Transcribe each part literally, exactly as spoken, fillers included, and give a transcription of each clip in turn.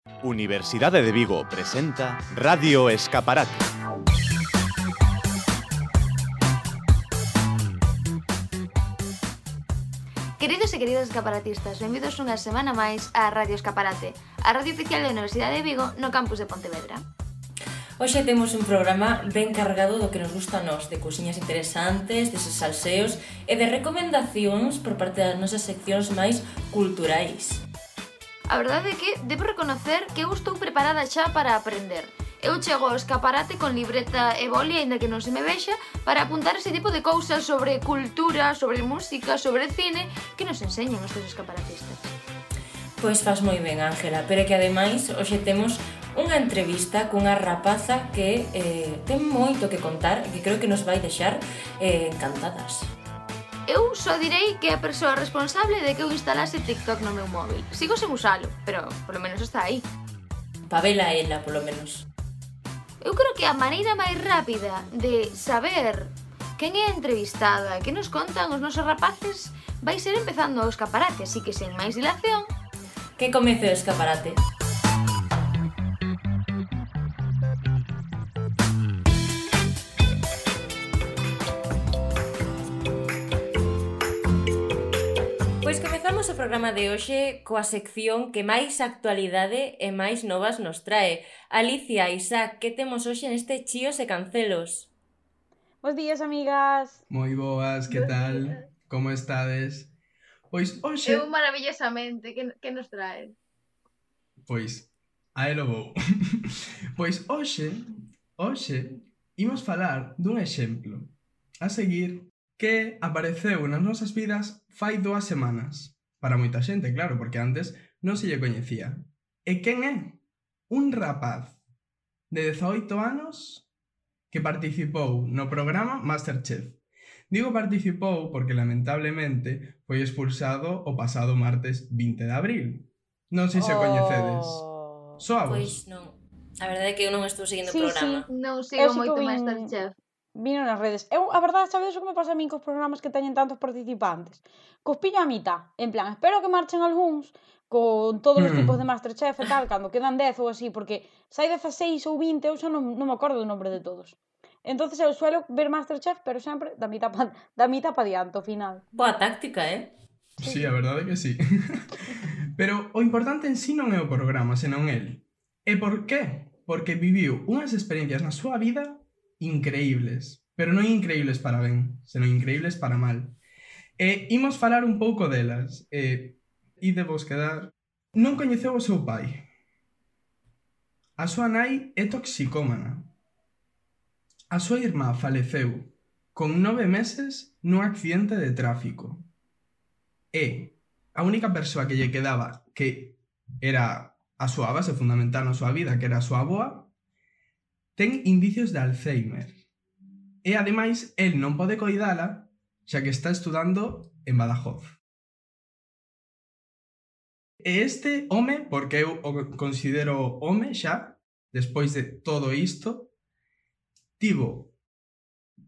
Universidade de Vigo presenta Radio Escaparate. Queridos e queridas escaparatistas, benvidos unha semana máis á Radio Escaparate, a radio oficial da Universidade de Vigo no campus de Pontevedra. Hoxe temos un programa ben cargado do que nos gusta a nós, de cousiñas interesantes, deses salseos e de recomendacións por parte das nosas seccións máis culturais. A verdade é que debo reconocer que eu estou preparada xa para aprender. Eu chego ao escaparate con libreta e boli, aínda que non se me vexa, para apuntar ese tipo de cousas sobre cultura, sobre música, sobre cine, que nos enseñan os teus escaparatistas. Pois faz moi ben, Ángela, pero que ademais hoxe temos unha entrevista cunha rapaza que eh, ten moito que contar e que creo que nos vai deixar eh, encantadas. Eu só direi que é a persoa responsable de que eu instalase TikTok no meu móvil. Sigo sen usalo, pero polo menos está aí. Pavela ela, polo menos. Eu creo que a maneira máis rápida de saber quen é a entrevistada e que nos contan os nosos rapaces vai ser empezando o escaparate, así que sen máis dilación... Que comece o escaparate. Pois comezamos o programa de hoxe coa sección que máis actualidade e máis novas nos trae. Alicia, Isaac, que temos hoxe neste Chíos e Cancelos? Bos días, amigas. Moi boas, que tal? Como estades? Pois hoxe... Eu maravillosamente, que, que nos trae? Pois, a elo vou. Pois hoxe, hoxe, imos falar dun exemplo a seguir que apareceu nas nosas vidas fai dúas semanas. Para moita xente, claro, porque antes non se lle coñecía. E quen é? Un rapaz de dezaoito anos que participou no programa Masterchef. Digo participou porque lamentablemente foi expulsado o pasado martes vinte de abril. Non sei se o coñecedes. Soavos? Pois non. A verdade é que eu non estou seguindo o Sí, programa. sí. Non Eu sigo sí que moito vin- Masterchef. Vino nas redes. Eu, a verdade, sabedes o que me pasa a min cos programas que teñen tantos participantes? Cos pillo a mitad. En plan, espero que marchen algúns con todos os Hmm. tipos de Masterchef e tal, cando quedan dez ou así, porque se hai dezaseis ou vinte, eu xa non, non me acordo do nombre de todos. Entonces eu suelo ver Masterchef, pero sempre da mitad pa, da mitad pa diante, ao final. Boa táctica, eh? Sí, a verdade é que sí. Pero o importante en sí non é o programa, senón el. E por qué? Porque viviu unhas experiencias na súa vida increíbles. Pero non increíbles para ben, senón increíbles para mal. E imos falar un pouco delas. E ide vos quedar... Non coñeceu o seu pai. A súa nai é toxicómana. A súa irmá faleceu con nove meses nun accidente de tráfico. E a única persoa que lle quedaba que era a súa base fundamental na súa vida, que era a súa avoa, ten indicios de Alzheimer. E ademais, el non pode coidala xa que está estudando en Badajoz. E este home, porque eu o considero home xa, despois de todo isto, tivo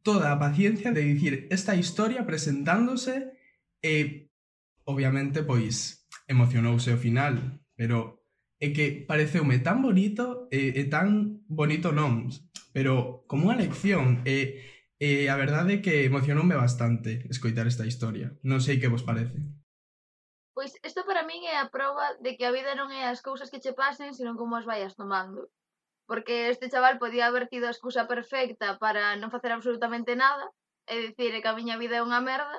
toda a paciencia de dicir esta historia presentándose e, obviamente, pois, emocionouse ao final, pero é que pareceume tan bonito e, e tan bonito non, pero como unha lección e, e a verdade é que emocionoume bastante escoitar esta historia. Non sei que vos parece. Pois isto para min é a proba de que a vida non é as cousas que che pasen, senón como as vayas tomando. Porque este chaval podía haber tido a excusa perfecta para non facer absolutamente nada, e dicir que a miña vida é unha merda,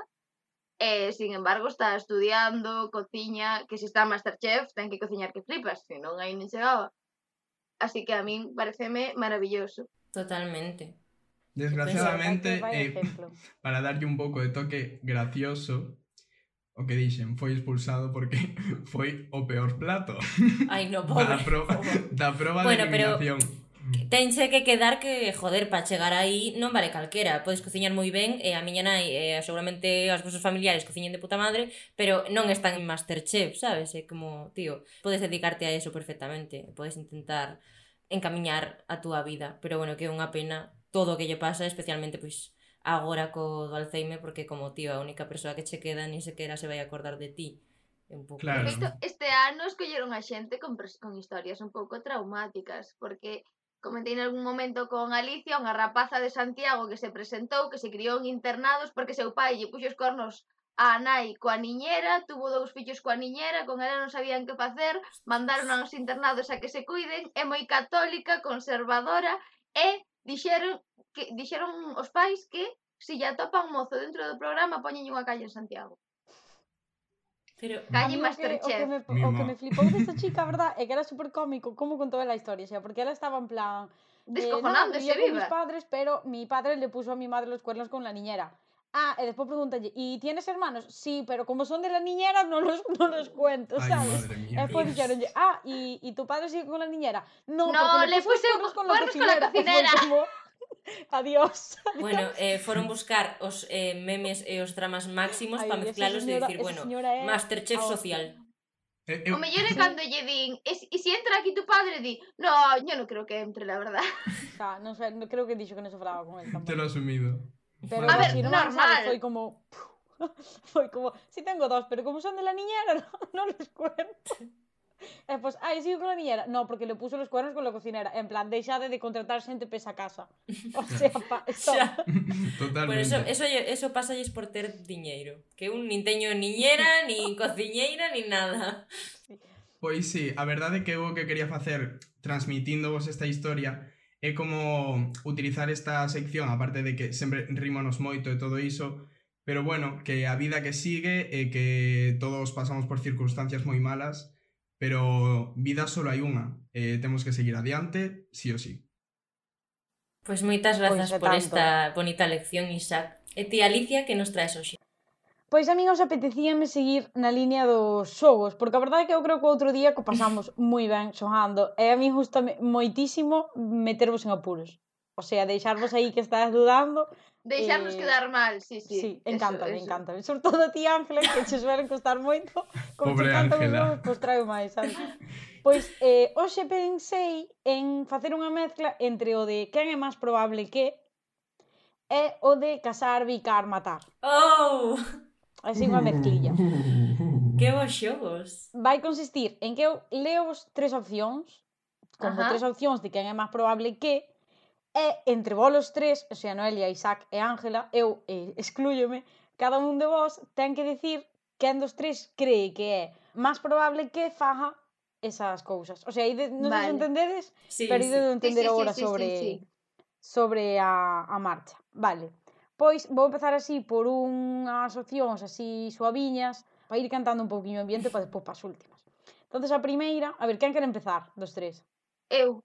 e, sin embargo, está estudiando, cociña, que se está en Masterchef, ten que cociñar que flipas, se non aí nin chegaba. Así que a min pareceme maravilloso. Totalmente. Desgraciadamente, Vai eh, exemplo. para darlle un pouco de toque gracioso, o que dixen, foi expulsado porque foi o peor plato Ai, no, pobre. da proba, da proba Bueno, de pero- eliminación. Tense que quedar que, joder, para chegar aí non vale calquera. Podes cociñar moi ben e a miña nai e seguramente os vosos familiares cociñen de puta madre, pero non están en Masterchef, sabes? É como, tío, podes dedicarte a eso perfectamente. Podes intentar encamiñar a túa vida. Pero bueno, que é unha pena todo o que lle pasa, especialmente, pois, agora co do Alzheimer, porque como, tío, a única persoa que che queda ni sequera se vai acordar de ti. É un pouco Claro. De isto. feito, este ano escolleron a xente con, pers- con historias un pouco traumáticas, porque comentei en algún momento con Alicia, unha rapaza de Santiago que se presentou, que se criou en internados porque seu pai lle puxo os cornos a nai coa niñera, tuvo dous fillos coa niñera, con ela non sabían que facer, mandaron aos internados a que se cuiden, é moi católica, conservadora, e dixeron que dixeron os pais que se lle atopan mozo dentro do programa, poñenlle unha calle en Santiago. Pero A Calle mí o que, o que, Masterchef. me, o Mima. que me flipou desta chica, a verdad, é que era super cómico como contou ela a historia, xa, porque ela estaba en plan eh, no, Descojonándose vivía con mis viva. padres, pero mi padre le puso a mi madre los cuernos con la niñera. Ah, e despois pregúntalle, ¿y tienes hermanos? Sí, pero como son de la niñera non los, non los cuento, Ay, sabes? madre E mía. despois Dios. dixeronlle, ah, ¿y, ¿y tu padre sigue con la niñera? No, No, porque le le puso los puse cuernos con la cuernos con la cocinera. E foi cocinera. como, adiós, adiós. bueno, eh, foron buscar os eh, memes e os dramas máximos Ai, para esa mezclalos e señora- dicir, esa bueno, señora é Masterchef a hostia. social. Eh, eu, O mellor é Sí. cando lle din, e, si- e si entra aquí tu padre, di, no, yo no creo que entre, la verdad. O sea, non sei, no, creo que dixo que non se falaba con él tampouco. te lo he asumido. Pero A ver, así, normal. ¿sabes? Foi como... Foi como, si tengo dos, pero como son de la niñera, no, no los cuento. E pues, ai, sigo con la niñera. No, porque le puso los cuernos con la cocinera. En plan, deixade de contratar xente pesa casa. O sea, pa, stop. Xa. Totalmente. Bueno, eso, eso, lle- eso pasalles por ter diñeiro. Que un nin teño niñera, nin cociñeira, nin nada. Pois sí, a verdade é que eu o que quería facer transmitíndovos esta historia é como utilizar esta sección, aparte de que sempre rímonos moito e todo iso, pero bueno, que a vida que sigue e que todos pasamos por circunstancias moi malas, pero vida solo hai unha, e temos que seguir adiante, sí o sí. Pois moitas grazas Pois é por tanto. esta bonita lección, Isaac. E ti, Alicia, que nos traes hoxe? Pois a min os apetecíame seguir na línea dos xogos, porque a verdade é que eu creo que outro día que o pasamos moi ben xogando, e a mí gustame moitísimo metervos en apuros. O sea, deixarvos aí que estás dudando. Deixarnos Eh, quedar mal, sí, sí. Sí, eso, encántame, eso. encántame. Sobre todo a ti, Ángela, que che suelen costar moito. Como Pobre che encantan os Ángela. xogos, pois traio máis, sabes? Pois, eh, hoxe pensei en facer unha mezcla entre o de quen é máis probable que e o de casar, bicar, matar. Oh! Así unha mezclilla. Que bons xogos! Vai consistir en que eu leo vos tres opcións, como Ajá. tres opcións de quen é máis probable que, e entre vos os tres, o sea, Noelia, Isaac e Ángela, eu eh, exclúyome, cada un de vos ten que decir quen dos tres cree que é máis probable que faga esas cousas. O sea, ide, non sei se Vale. entendedes, Sí, pero sí. ides de entender Sí, sí, sí, agora sí, sobre, sí, sí. sobre a, a marcha. Vale. Pois vou empezar así por unhas opcións así suaviñas, para ir cantando un pouquiño o ambiente para despois para as últimas. Entonces a primeira, a ver, quen quere empezar dos tres? Eu.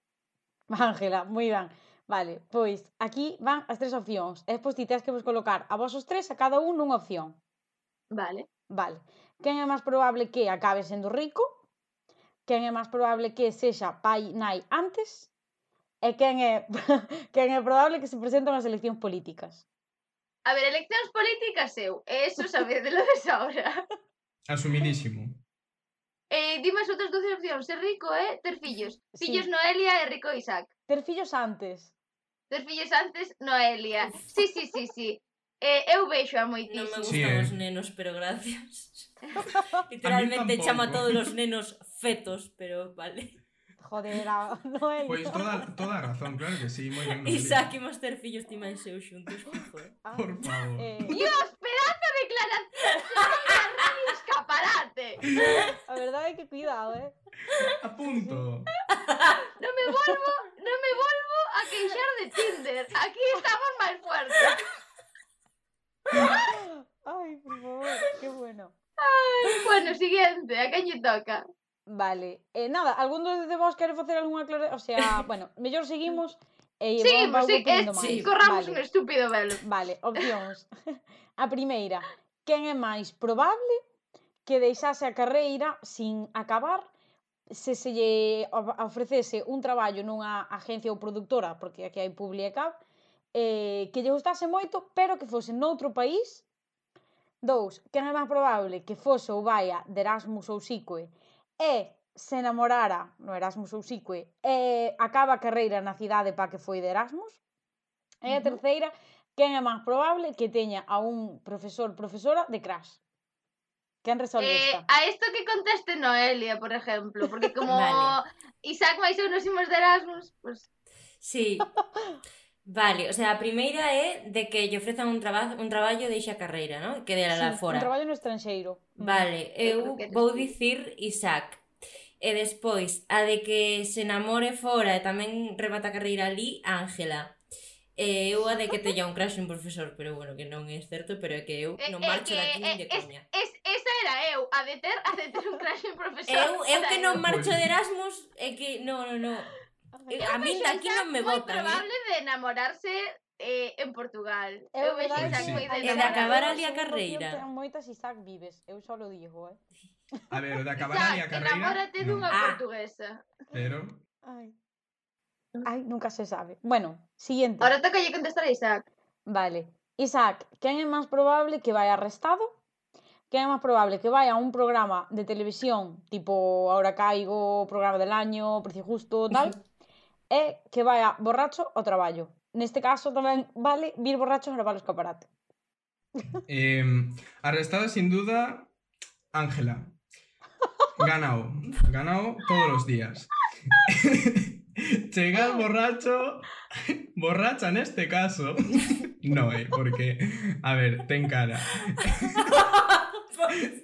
Ángela, moi ben. Vale, pois aquí van as tres opcións. E despois ti tens que vos colocar a vos os tres a cada un nunha opción. Vale. Vale. Quen é máis probable que acabe sendo rico? Quen é máis probable que sexa pai nai antes? E quen é quen é probable que se presenten as eleccións políticas? A ver, eleccións políticas eu. E eso sabedelo de sobra. Asumidísimo. Eh, dime as outras doce opcións. Ser rico é ter fillos. Sí. Fillos Noelia e rico Isaac. Ter fillos antes. Ter fillos antes Noelia. Sí, sí, sí, sí. Eh, eu vexo a Non me moitísimo. Sí, gustan eh. os nenos, pero gracias. Literalmente tampouco. chama a todos os nenos fetos, pero vale. Joder, a Noelia. Pois toda, toda a razón, claro que sí, moi ben. Noelia. Isaac e Master fillos ti máis eu xuntos, joder. Ah, Por favor. eh, Dios, pedazo de declaración. Soy un escaparate. a verdade é que cuidado, eh. A punto. Non me volvo, non me volvo a queixar de Tinder. Aquí estamos máis fuertes. Ai, por favor, que bueno. Bueno, siguiente, a quen lle toca? Vale, eh, nada, algún dos de vos quere facer algunha aclaración? O sea, bueno, mellor seguimos e Seguimos, vamos sí, ponindo eh, máis. sí, corramos Vale. un estúpido velo. Vale, opcións. A primeira, quen é máis probable que deixase a carreira sin acabar se se lle of- ofrecese un traballo nunha agencia ou produtora, porque aquí hai Publiecab, eh, que lle gustase moito, pero que fose noutro país. Dous, quen é máis probable que fose ou vaia de Erasmus ou Sicoe e se namorara no Erasmus ou Sicoe e acaba a carreira na cidade para que foi de Erasmus. E a Ujú. terceira, quen é máis probable que teña a un profesor, profesora de crash. Quen resolve Eh, esta? a isto que conteste Noelia, por exemplo, porque como Vale. Isaac máis eu nos imos de Erasmus, pues Sí. Vale, o sea, a primeira é de que lle ofrezan un, traba un traballo de ixa carreira, ¿no? Que de Sí, la un fora. traballo no estranxeiro. Mm. Vale, Eu creo eu que eres vou tú. dicir Isaac. E despois, a de que se namore fora e tamén remata a carreira ali, Ángela. E eu a de que teña un crush un profesor, pero bueno, que non é certo, pero é que eu eh, non eh, marcho que, daqui nin de eh, es, coña. es, esa era eu, a de ter, a de ter un crush en profesor. Eu, eu era que eu. non marcho de Erasmus, é que, no, no, no. Eu, a min Vexo daqui Isaac non me moi botan, probable eh? de enamorarse eh, en Portugal. É Eu vexo verdade Pois Isaac sí. moi de que E de acabar enamorar. ali a carreira. Ten moitas Isaac Vives, eu só lo digo, eh. A ver, o de acabar Isaac, ali a carreira... enamórate non. dunha Ah. portuguesa. Pero... Ai. Ai, nunca se sabe. Bueno, siguiente. Ahora toca lle contestar a Isaac. Vale. Isaac, quen é máis probable que vai arrestado? Quen é máis probable que vai a un programa de televisión tipo Ahora Caigo, Programa del Año, Precio Justo, tal? E que vai a borracho ao traballo. Neste caso tamén vale vir borracho a gravar o escaparate. Eh, arrestada sin duda, Ángela. Ganao. Ganao todos los días. Chegar borracho... Borracha neste caso. No, eh, porque... A ver, ten cara.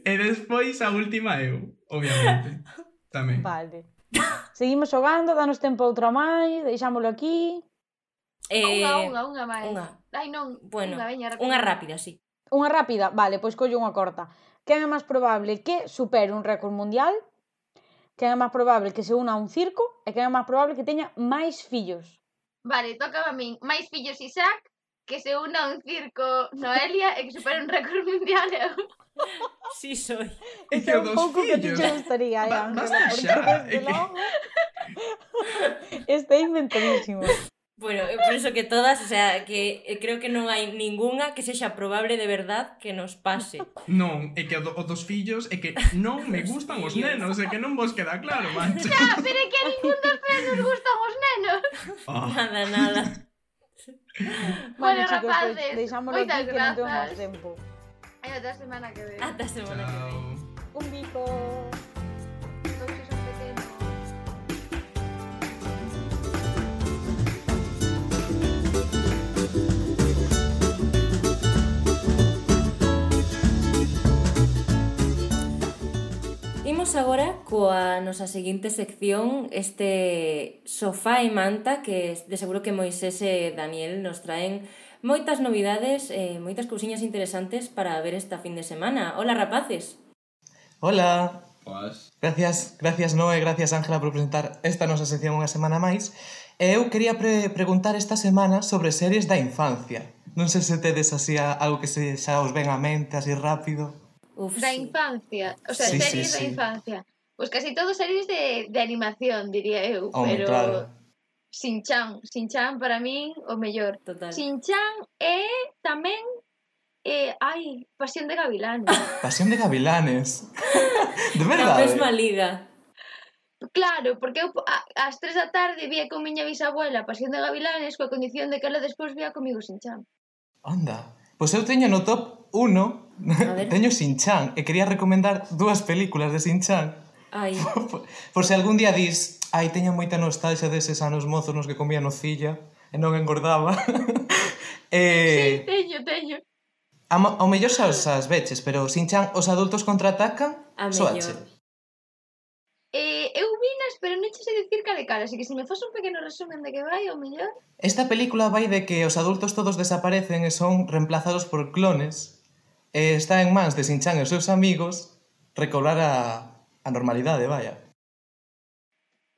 E despois a última eu, obviamente. Tamén. Vale. Seguimos xogando, danos tempo a outra máis, deixámolo aquí. Eh, Unha, unha, unha máis. unha. Ai, non. Bueno, unha, veña, rápido. unha rápida, sí. Unha rápida, vale, pois collo unha corta. Quen é máis probable que supere un récord mundial? Quen é máis probable que se una a un circo? E quen é máis probable que teña máis fillos? Vale, toca a min. Máis fillos Isaac, que se una a un circo Noelia e que supere un récord mundial eu. Sí soy. É que É o un dos pouco que a ti fillos. te gustaría, eh, Ba- Ángela, basta porque xa, desde é que- logo está inventadísimo. Bueno, eu penso que todas, o sea, que eh, creo que non hai ningunha que sexa probable de verdad que nos pase. Non, é que o, do, o dos fillos é que non me gustan os nenos, é que non vos queda claro, mancha. Ah, pero é que a ningún dos tres nos gustan os nenos. Oh, Nada, nada. Bueno, chicos, pois rapaces, deixámoslo moitas aquí que non temos grazas. máis tempo. E ata a semana que ven. Ata a semana que ven. chao. Un bico. Todos son pequenos. Imos agora coa nosa seguinte sección, este sofá e manta, que de seguro que Moisés e Daniel nos traen moitas novidades e moitas cousiñas interesantes para ver esta fin de semana. Hola, rapaces! Hola. Pois. Gracias, gracias Noé, gracias Ángela por presentar esta nosa sección unha semana máis. E eu quería pre preguntar esta semana sobre series da infancia. Non sei se tedes así a, algo que se xa os ven á mente así rápido. Uf, Da sí. infancia, o sea, Sí, sí, series sí. da infancia. Pois casi todo series de, de animación, diría eu, Home, pero claro. Shin-chan, Shin-chan para min o mellor. Total. Shin-chan é tamén eh, ai, Pasión de Gavilanes. Pasión de Gavilanes. De Na verdade. mesma liga. Claro, porque eu a, ás tres da tarde vía con miña bisabuela Pasión de Gavilanes coa condición de que ela despois vía comigo Shin-chan. Anda. Pois eu teño no top uno, ver. teño Shin-chan, e quería recomendar dúas películas de Shin-chan. Ai, Por, por se algún día dis, ai, teño moita nostalgia deses anos mozos nos que comía nocilla e non engordaba. Sí, eh, teño, teño. a, mo- ao mellor xa os as veches, pero Shin-chan, os adultos contraatacan, a soache. mellor. Eh, eu vinas, pero non che sei dicir cal é cal, así que se me faz un pequeno resumen de que vai, o mellor. Esta película vai de que os adultos todos desaparecen e son reemplazados por clones e está en mans de Shin-chan e os seus amigos recobrar a, a normalidade, vaya.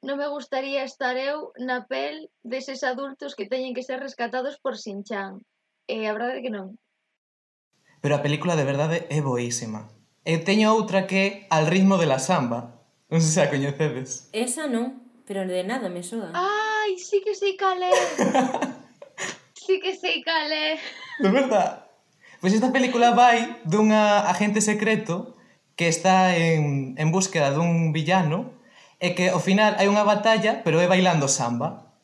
Non me gustaría estar eu na pel deses adultos que teñen que ser rescatados por Shin-chan. E a verdade é que non. Pero a película de verdade é boísima. E teño outra que é Al ritmo de la samba. Non sei se a coñecedes. Esa non, pero de nada me soa. Ai, sí que sei cal é. Sí que sei cal é. De verdad. Pois esta película vai dunha agente secreto que está en, en búsqueda dun villano e que ao final hai unha batalla, pero é bailando samba.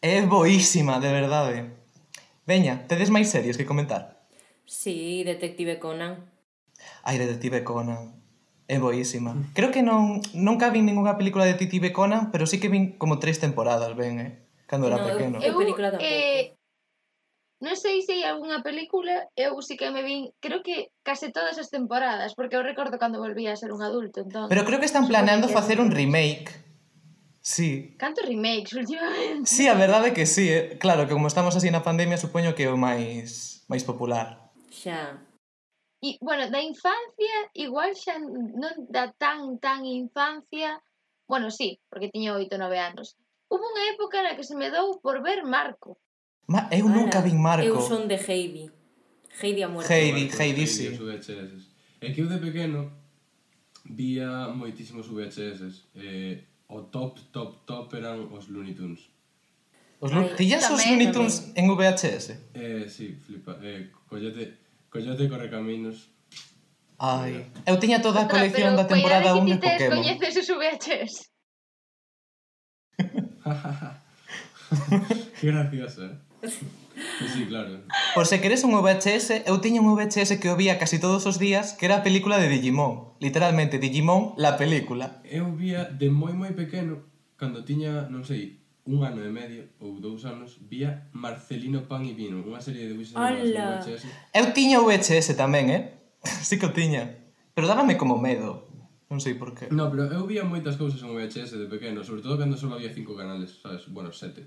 É boísima, de verdade. Veña, tedes máis series que comentar? Sí, Detective Conan. Ai, Detective Conan. É boísima. Creo que non nunca vin ninguna película de Detective Conan, pero sí que vin como tres temporadas, ben, eh? Cando era No, eu- pequeno. eu- película tampouco. eh, non sei se hai algunha película, eu sí que me vin, creo que case todas as temporadas, porque eu recordo cando volvía a ser un adulto, entón. Pero creo que están supoño planeando que facer un todas. remake. Sí. Cantos remakes últimamente? Sí, a verdade é que sí, eh? Claro, que como estamos así na pandemia, supoño que é o máis máis popular. Xa. E, bueno, da infancia, igual xa non da tan, tan infancia, bueno, sí, porque tiña oito, nove anos. Hubo unha época na que se me dou por ver Marco. Ma, eu nunca Ala, vin Marco. Eu son de Heidi. Heidi a muerte. Heidi, Marcos, Heidi, Heidi, sí. os V H S. É que eu de pequeno vía moitísimos V H S. Eh, o top, top, top eran os Looney Tunes. Os Lu- Ai, Tillas os tamén, Looney Tunes en V H S? Eh, sí, flipa. Eh, Coyote, Coyote Correcaminos. Ai, eu tiña toda a Ostras, colección pero da temporada coidado un que de ti tes, Pokémon. coñeces os V H S. Que gracioso, eh? Pues sí, claro. Por se queres un V H S, eu tiña un V H S que o vía casi todos os días, que era a película de Digimon. Literalmente, Digimon, la película. Eu vía de moi moi pequeno, cando tiña, non sei, un ano e medio ou dous anos, vía Marcelino Pan e Vino, unha serie de debuxos animados en Ala. V H S. Eu tiña V H S tamén, eh? Sí que o tiña. Pero dábame como medo. Non sei por qué. No, pero eu vía moitas cousas en V H S de pequeno, sobre todo cando só había cinco canales, sabes? Bueno, sete.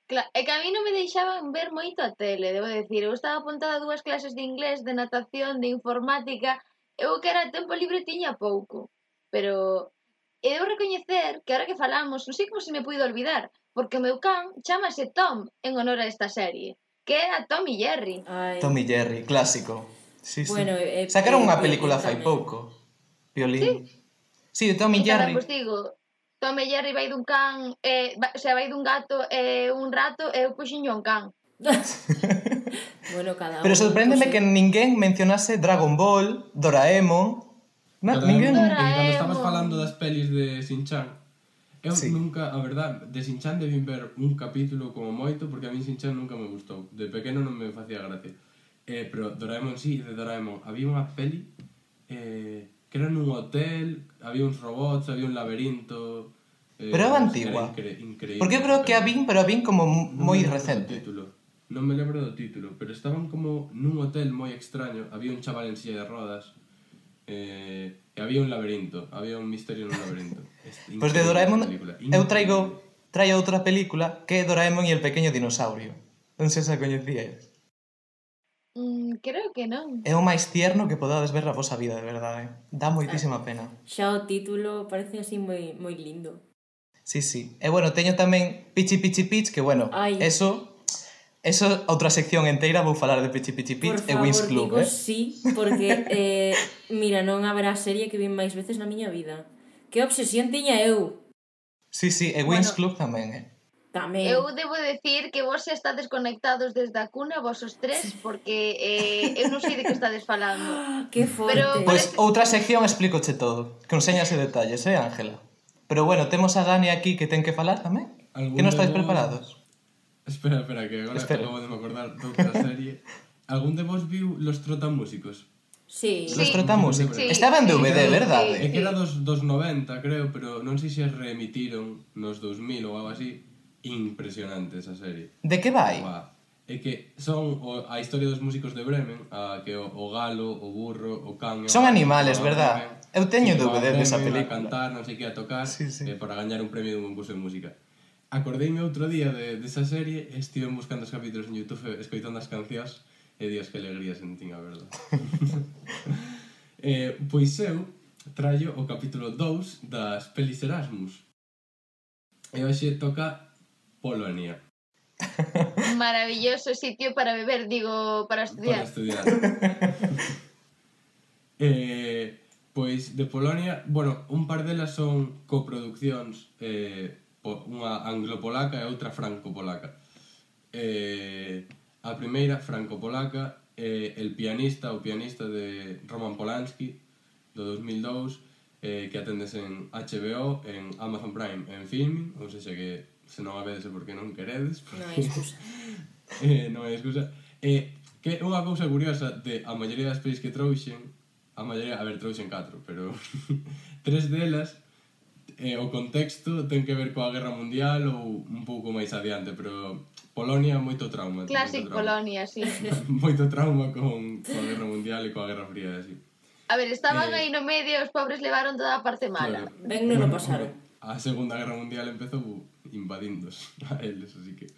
Claro, é que a mí non me deixaban ver moito a tele, debo decir. Eu estaba apuntada a dúas clases de inglés, de natación, de informática. Eu que era tempo libre tiña pouco. Pero he de recoñecer que ahora que falamos, non sei como se me puido olvidar, porque o meu can chamase Tom en honor a esta serie, que é a Tom e Jerry. Ai. Tom e Jerry, clásico. Sí, sí. Bueno, eh, Sacaron eh, unha Violín película fai tamén. pouco. Violín. Sí, Tom e E tamén, Jerry. pois digo, Tom e Jerry vai dun can, eh, va, o sea, vai dun gato e un rato, e eu puxinho un can. Bueno, cada Pero un, sorpréndeme pois, que ninguén mencionase Dragon Ball, Doraemon. Na, Doraemon, ninguén. e Doraemon. cando estabas falando das pelis de Shin-Chan, eu Sí. nunca, a verdad, de Shin-Chan debín ver un capítulo como moito, porque a mí Shin-Chan nunca me gustou. De pequeno non me facía gracia. Eh, pero Doraemon sí, de Doraemon. Había unha peli eh, que era nun hotel, había uns robots, había un laberinto... Eh, Pero é era antigua. incre increíble. Porque eu creo que a vin, pero a vin como Non moi me lembro do recente. título. Non me lembro do título, pero estaban como nun hotel moi extraño, había un chaval en silla de rodas, eh, e había un laberinto, había un misterio nun laberinto. Pois pues de Doraemon, Película, eu traigo traio outra película que é Doraemon e el pequeño dinosaurio. Non sei se a coñecíais. Mm, creo que non. É o máis tierno que podades ver na vosa vida, de verdade. Dá moitísima pena. xa o título parece así moi moi lindo. Sí, sí. E bueno, teño tamén Pichi Pichi Pitch, que bueno, Ai. eso eso outra sección enteira vou falar de Pichi Pichi Por Pitch e favor, Wings Club, digo eh? sí, porque eh, mira, non haberá serie que vin máis veces na miña vida. Que obsesión tiña eu. Sí, sí, e Wings Bueno. Club tamén, eh? Tamén. Eu debo decir que vos xa estades conectados desde a cuna, vos os tres, porque eh, eu non sei de que estades falando. Que forte. Pero- Pois pues, outra sección explícoche todo, con señas e detalles, eh, Ángela? Pero bueno, temos a Dani aquí que ten que falar tamén. Algún Que non de estáis vos- preparados? Espera, espera, que agora Espera. acabo de me acordar doutra serie. Algún de vos viu Los Trotamúsicos? Sí. Los Sí. trotamúsicos. Sí, Estaba en sí, D V D, sí, verdade? É que era dos, dos noventa, creo, pero non sei se reemitiron nos dos mil ou algo así. Impresionante esa serie. De que vai? Buah. É que son o, a historia dos músicos de Bremen, a que o, o galo, o burro, o can... e o Son gato animales, van a verdad? Bremen, Eu teño sí, D V D van a desa Bremen película. A cantar, non sei que, a tocar, Sí, sí. eh, para gañar un premio dun concurso de música. Acordeime outro día de, desa serie, e estive buscando os capítulos en YouTube, escoitando as cancións, e dios que alegría sentín, a verdade. eh, pois eu traio o capítulo dous das pelis Erasmus. E hoxe toca Polonia. Maravilloso sitio para beber, digo, para Para estudiar. estudiar. eh, pois de Polonia, bueno, un par delas son coproduccións, eh, po- unha anglo-polaca e outra franco-polaca. Eh, a primeira, franco-polaca, eh, el pianista, o pianista de Roman Polanski, do dos mil dous, eh, que atendes en H B O, en Amazon Prime, en Filmin, ou seja que se non a vedes é porque non queredes, Non hai excusa. eh, non hai excusa. Eh, que é unha cousa curiosa de a maioría das pelis que trouxen, a maioría, a ver, trouxen catro, pero tres delas eh, o contexto ten que ver coa Guerra Mundial ou un pouco máis adiante, pero Polonia moito trauma. Classic moito trauma. Polonia, sí. Moito trauma con coa Guerra Mundial e coa Guerra Fría, así. A ver, estaban Eh, aí no medio, os pobres levaron toda a parte mala. Claro. Ben non o pasaron. A Segunda Guerra Mundial empezou invadindos a eles, así que...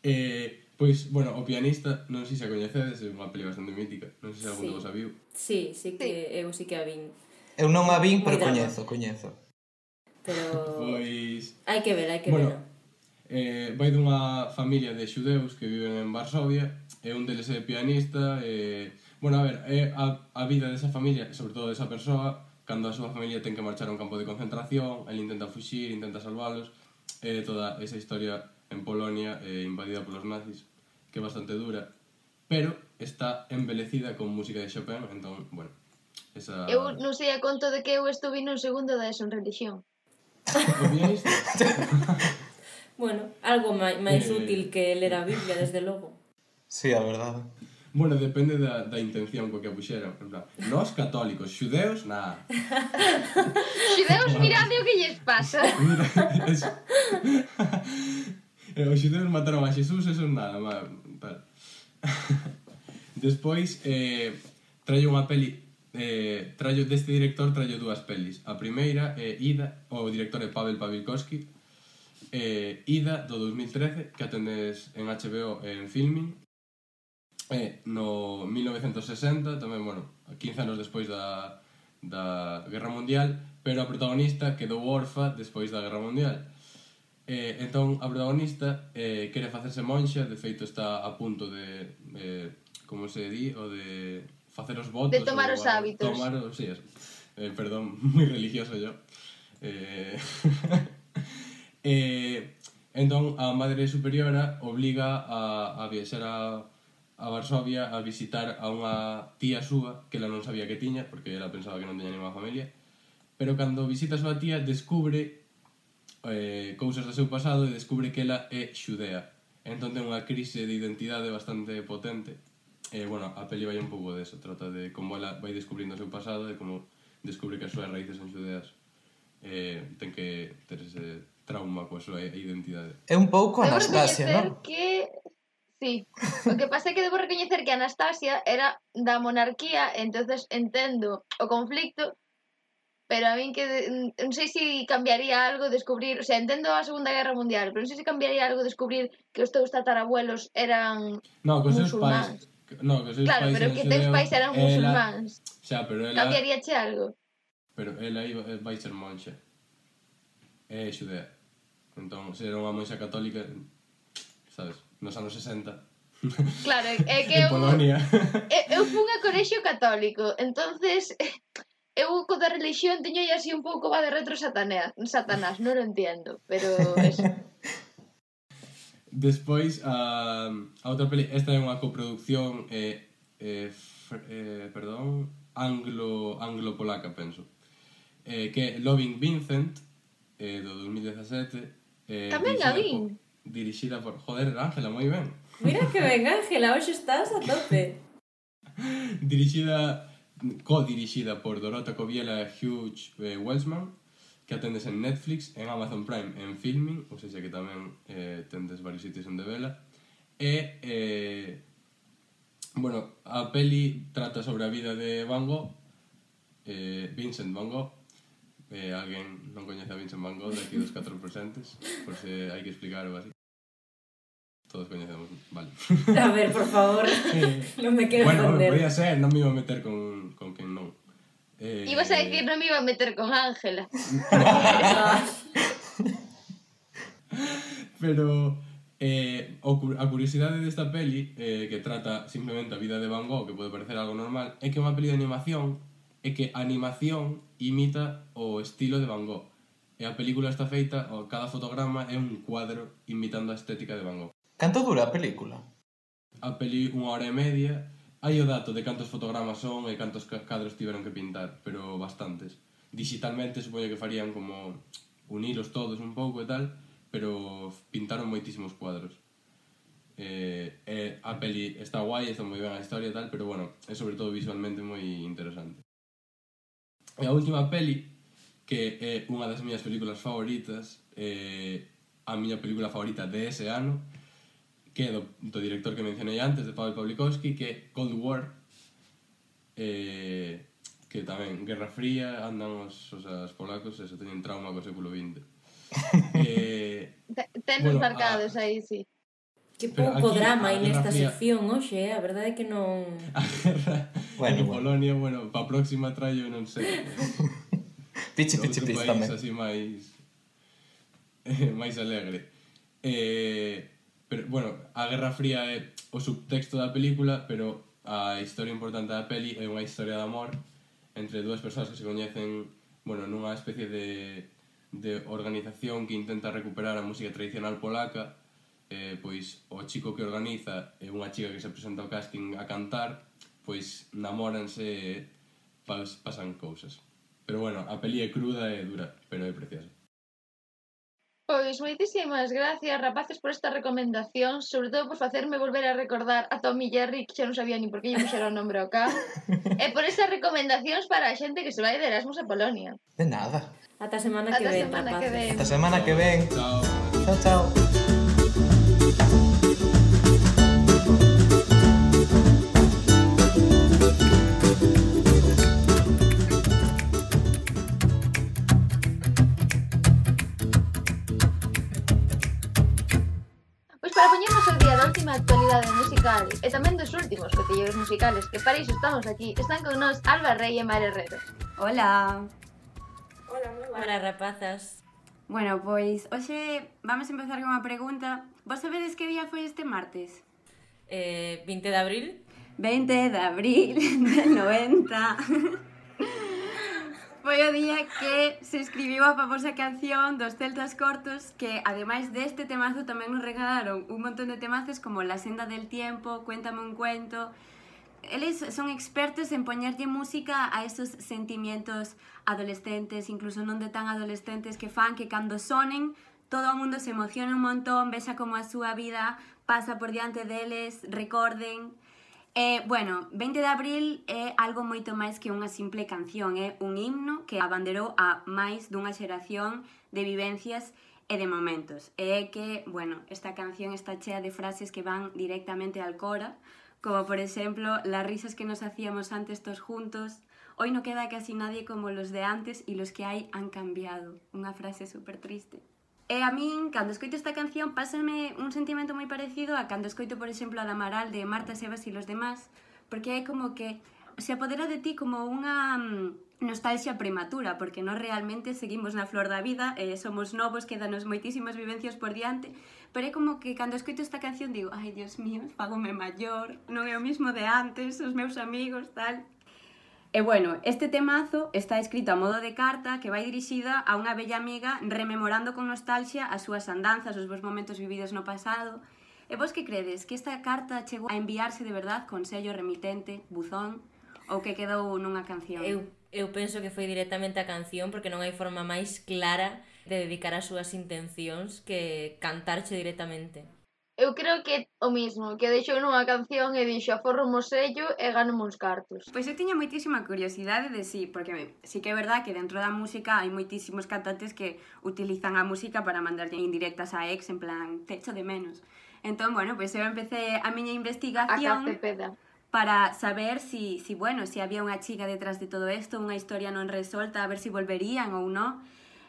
Eh, pois, bueno, o pianista, non sei se a coñecedes, é unha peli bastante mítica, non sei se algún Sí. de vos a viu. Sí, sí que eu sí que a vin. Eu non a vin, pero Moi drama. coñezo, coñezo. Pero Pois, hai que ver, hai que bueno, ver. eh, vai dunha familia de xudeus que viven en Varsovia, e un deles é pianista, e... Bueno, a ver, é a, a vida desa familia, sobre todo desa persoa, cando a súa familia ten que marchar a un campo de concentración, el intenta fuxir, intenta salvalos, e toda esa historia en Polonia eh, invadida polos nazis, que é bastante dura, pero está embelecida con música de Chopin, entón, bueno, esa... Eu non sei a conto de que eu estuve nun segundo da ESO en religión. O pianista? Bueno, algo máis, máis Eh. útil que ler a Biblia, desde logo. Sí, a verdade. Bueno, depende da, da intención co que a puxeran. En plan, nós católicos, xudeus, nada. Xudeus, mirade o que lles pasa. Mira, eso. Eh, Os xudeus mataron a Xesús, eso é nada, má, tal. Despois, eh, traio unha peli, eh, traio deste director traio dúas pelis. A primeira é Ida, o director é Pavel Pawlikowski, eh, Ida, do dos mil trece, que atendes en H B O e en Filmin. E no mil novecentos sesenta, tamén, bueno, quince anos despois da, da Guerra Mundial, pero a protagonista quedou orfa despois da Guerra Mundial. Eh, entón, a protagonista eh, quere facerse monxa, de feito está a punto de, eh, como se di, o de facer os votos. De tomar ou os a- hábitos. Tomar os, sí, eso. Eh, perdón, moi religioso yo. Eh, eh, entón, a Madre Superiora obliga a, a viaxar a, a Varsovia a visitar a unha tía súa que ela non sabía que tiña, porque ela pensaba que non tiña ninguna familia, pero cando visita a súa tía descubre eh, cousas do seu pasado e descubre que ela é xudea. Entón ten unha crise de identidade bastante potente. E, bueno, a peli vai un pouco deso, trata de como ela vai descubrindo o seu pasado e como descubre que as súas raíces son xudeas. Eh, ten que ter ese trauma coa súa identidade. É un pouco Debo Anastasia, recoñecer non? que... Sí, o que pasa é que debo recoñecer que Anastasia era da monarquía, entonces entendo o conflicto, pero a min que de- non sei se cambiaría algo descubrir, o sea, entendo a Segunda Guerra Mundial, pero non sei se cambiaría algo descubrir que os teus tatarabuelos eran No, que os seus musulmáns. pais... No, que os seus Claro, pais pero eran que teus xudeus, pais eran ela- musulmáns. Xa, pero ela... Cambiaríache algo? Pero ela iba, eh, vai ser monxa. É xudea. Entón, se era unha monxa católica, sabes, nos anos sesenta, Claro, é que en eu, Polonia. eu, eu fun a colexio católico, entonces eu co da religión teño aí así un pouco va de retro satanás, satanás, non o entiendo, pero eso. Despois, a, a outra peli, esta é unha coproducción eh, eh, fr, eh, perdón, anglo, anglo-polaca, penso, eh, que é Loving Vincent, eh, do dos mil dezasete, eh, Tamén a dirixida vin. por- dirixida por, joder, Ángela, moi ben, Mira que ben, Ángela, hoxe estás a tope. dirixida, co-dirixida por Dorota Kobiela e Hugh eh, Welsman, que atendes en Netflix, en Amazon Prime, en Filming, ou seja que tamén eh, tendes varios sitios onde vela. E, eh, bueno, a peli trata sobre a vida de Van Gogh, eh, Vincent Van Gogh. Eh, alguén non coñece a Vincent Van Gogh de aquí dos catro presentes, por se hai que explicar ou así. Todos coñecemos, vale. A ver, por favor, Eh, non me quero bueno, ofender. podía ser, non me iba a meter con, con quen non. Eh, Ibas a decir non me iba a meter con Ángela. Ah, Pero eh, o cu- a curiosidade desta peli, eh, que trata simplemente a vida de Van Gogh, que pode parecer algo normal, é que é unha peli de animación e que a animación imita o estilo de Van Gogh. E a película está feita, o cada fotograma é un cuadro imitando a estética de Van Gogh. Canto dura a película? A peli unha hora e media, hai o dato de cantos fotogramas son e cantos ca- cadros tiveron que pintar, pero bastantes. Digitalmente supoño que farían como unilos todos un pouco e tal, pero pintaron moitísimos cuadros. Eh, eh, a peli está guai, está moi ben a historia e tal, pero bueno, é sobre todo visualmente moi interesante. E a última peli, que é unha das miñas películas favoritas, é a miña película favorita de ese ano, que é do, do director que mencionei antes, de Paweł Pawlikowski, que é Cold War, eh, que tamén, Guerra Fría, andan os, os, os polacos, e se teñen trauma co século vinte. eh, Tenos bueno, marcados a, aí, sí. Que Pero pouco aquí drama a hai Guerra nesta Fría- sección, hoxe, eh? A verdade é que non... a guerra Bueno, en bueno. Polonia, bueno, pa próxima traio, non sei, Pichi, outro pichi, pichi país tamén. así máis eh, máis alegre. Eh, pero, bueno, a Guerra Fría é o subtexto da película, pero a historia importante da peli é unha historia de amor entre dúas persoas que se coñecen, bueno, nunha especie de, de organización que intenta recuperar a música tradicional polaca. Eh, pois o chico que organiza e unha chica que se presenta ao casting a cantar, pois namóranse e pas, pasan cousas. Pero bueno, a peli é cruda e dura, pero é preciosa. Pois moitísimas gracias, rapaces, por esta recomendación, sobre todo por facerme volver a recordar a Tom e Jerry, que xa non sabía ni por que lle puxera o nombre ao cá, e por esas recomendacións para a xente que se vai de Erasmus a Polonia. De nada. Ata a semana que Ata a ven, semana que rapaces. ven. Ata semana que ven. Chao. Chao, chao. Pois para poñernos ao día da última actualidade musical e tamén dos últimos cotilleros musicales, que para iso estamos aquí, están con nós Alba Rey e Mar Herrero. Hola. Hola, rapazas. Bueno, pois hoxe vamos a empezar con unha pregunta. Vos sabedes que día foi este martes? Eh, vinte de abril. veinte de abril del noventa. Foi o día que se escribiu a famosa canción dos Celtas Cortos, que ademais deste temazo tamén nos regalaron un montón de temazos como La senda del tiempo, Cuéntame un cuento. Eles son expertos en poñerlle música a esos sentimientos adolescentes, incluso non de tan adolescentes, que fan que cando sonen todo o mundo se emociona un montón, vexa como a súa vida pasa por diante deles, recorden. Eh, bueno, veinte de abril é algo moito máis que unha simple canción, é un himno que abanderou a máis dunha xeración de vivencias e de momentos. E é que, bueno, esta canción está chea de frases que van directamente al cora, como por exemplo, las risas que nos hacíamos antes todos juntos, hoy no queda casi nadie como los de antes y los que hay han cambiado. Unha frase super triste. E a min, cando escoito esta canción, pásame un sentimento moi parecido a cando escoito, por exemplo, a da Amaral de Marta, Sebas e los demás, porque é como que se apodera de ti como unha nostalgia prematura, porque nós realmente seguimos na flor da vida, e somos novos, quedanos moitísimas vivencias por diante, pero é como que cando escoito esta canción digo, ai, Dios mío, fágome maior, non é o mismo de antes, os meus amigos, tal. E bueno, este temazo está escrito a modo de carta que vai dirixida a unha bella amiga rememorando con nostalgia as súas andanzas, os bons momentos vividos no pasado. E vos que credes? Que esta carta chegou a enviarse de verdad con sello remitente, buzón, ou que quedou nunha canción? Eu, eu penso que foi directamente a canción porque non hai forma máis clara de dedicar as súas intencións que cantarche directamente. Eu creo que é o mismo, que deixou nunha canción e dixo aforro mo sello e gano uns cartos. Pois eu tiña moitísima curiosidade de sí, porque sí que é verdad que dentro da música hai moitísimos cantantes que utilizan a música para mandarlle indirectas a ex, en plan, te echo de menos. Entón, bueno, pois eu empecé a miña A investigación Cacepeda. para saber si, si, bueno, si había unha chica detrás de todo isto, unha historia non resolta, a ver si volverían ou non.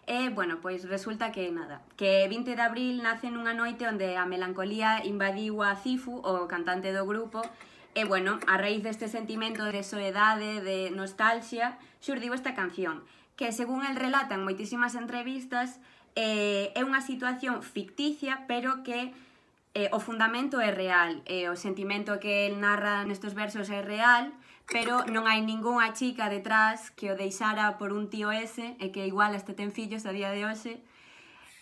E, bueno, pois resulta que nada, que vinte de abril nace nunha noite onde a melancolía invadiu a Cifu, o cantante do grupo, e, bueno, a raíz deste sentimento de soedade, de nostalgia, xurdiu esta canción, que, según el relata en moitísimas entrevistas, eh, é unha situación ficticia, pero que eh, o fundamento é real, e o sentimento que el narra nestes versos é real, pero non hai ningunha chica detrás que o deixara por un tío ese e que igual hasta ten fillos a día de hoxe.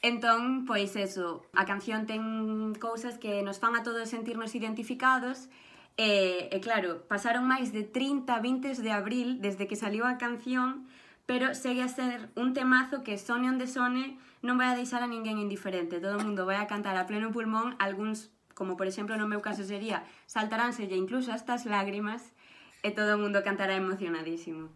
Entón, pois eso, a canción ten cousas que nos fan a todos sentirnos identificados e, e claro, pasaron máis de trinta, vinte de abril desde que saliu a canción, pero segue a ser un temazo que sone onde sone non vai a deixar a ninguén indiferente. Todo o mundo vai a cantar a pleno pulmón, algúns, como por exemplo no meu caso sería, saltaránselle incluso hasta as lágrimas, e todo o mundo cantará emocionadísimo.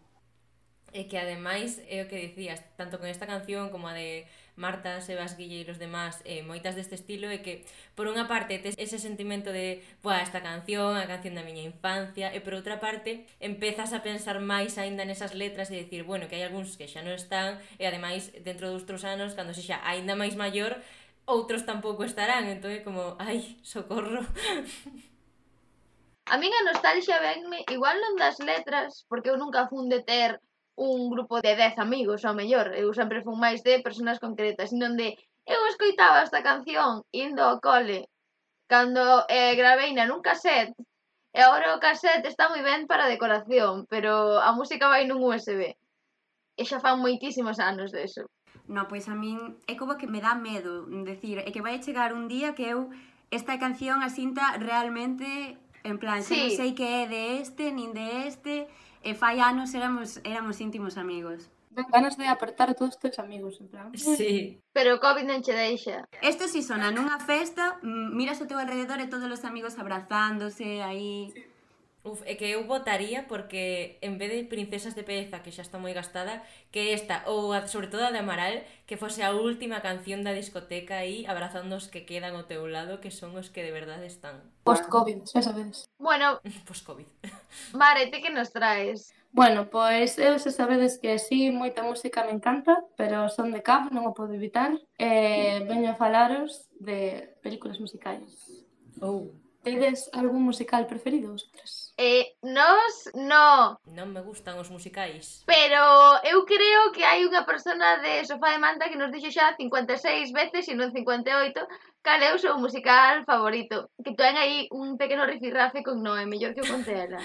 E que ademais é o que dicías, tanto con esta canción como a de Marta, Sebas Guille e os demás, eh, moitas deste estilo, é que por unha parte tes ese sentimento de buah, esta canción, a canción da miña infancia, e por outra parte empezas a pensar máis aínda nesas letras e dicir, bueno, que hai algúns que xa non están e ademais dentro doutros anos, cando sexa aínda máis maior, outros tampouco estarán, entón é como, ai, socorro. A min a nostalgia venme igual non das letras, porque eu nunca fun de ter un grupo de dez amigos, ao mellor, eu sempre fun máis de persoas concretas, sino de eu escoitaba esta canción indo ao cole cando eh, graveina nun cassette e agora o cassette está moi ben para decoración, pero a música vai nun U S B e xa fan moitísimos anos deso. No, pois a min é como que me dá medo, decir, é que vai chegar un día que eu esta canción a sinta realmente en plan, sí. Non sei que é de este, nin de este, e fai anos éramos, éramos íntimos amigos. Dan ganas de apertar a todos os teus amigos, en plan. Sí. Pero o COVID non che deixa. Isto si sona nunha festa, miras ao teu alrededor e todos os amigos abrazándose aí... Sí. Uf, é que eu votaría porque en vez de Princesas de Pereza, que xa está moi gastada, que esta, ou a, sobre todo a de Amaral, que fose a última canción da discoteca aí, abrazando os que quedan ao teu lado, que son os que de verdade están. Post-COVID, xa sabedes. Bueno, post-COVID. Mare, ti que nos traes? Bueno, pois eu xa sabedes que sí, moita música me encanta, pero son de Cab, non o podo evitar. E veño a falaros de películas musicais. Oh. Tedes algún musical preferido, vosotras? Eh, nos, no. Non me gustan os musicais. Pero eu creo que hai unha persona de Sofá de Manta que nos dixo xa cincuenta e seis veces, e non cincuenta e oito, cal é o seu musical favorito. Que ten aí un pequeno rifirrafe con Noé, mellor que o conte ela.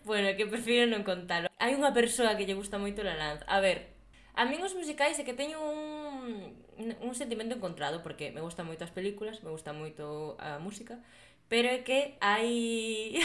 Bueno, que prefiro non contalo. Hai unha persoa que lle gusta moito La Lanz. A ver, a min os musicais é que teño un, un sentimento encontrado, porque me gustan moito as películas, me gusta moito a música, pero é que hai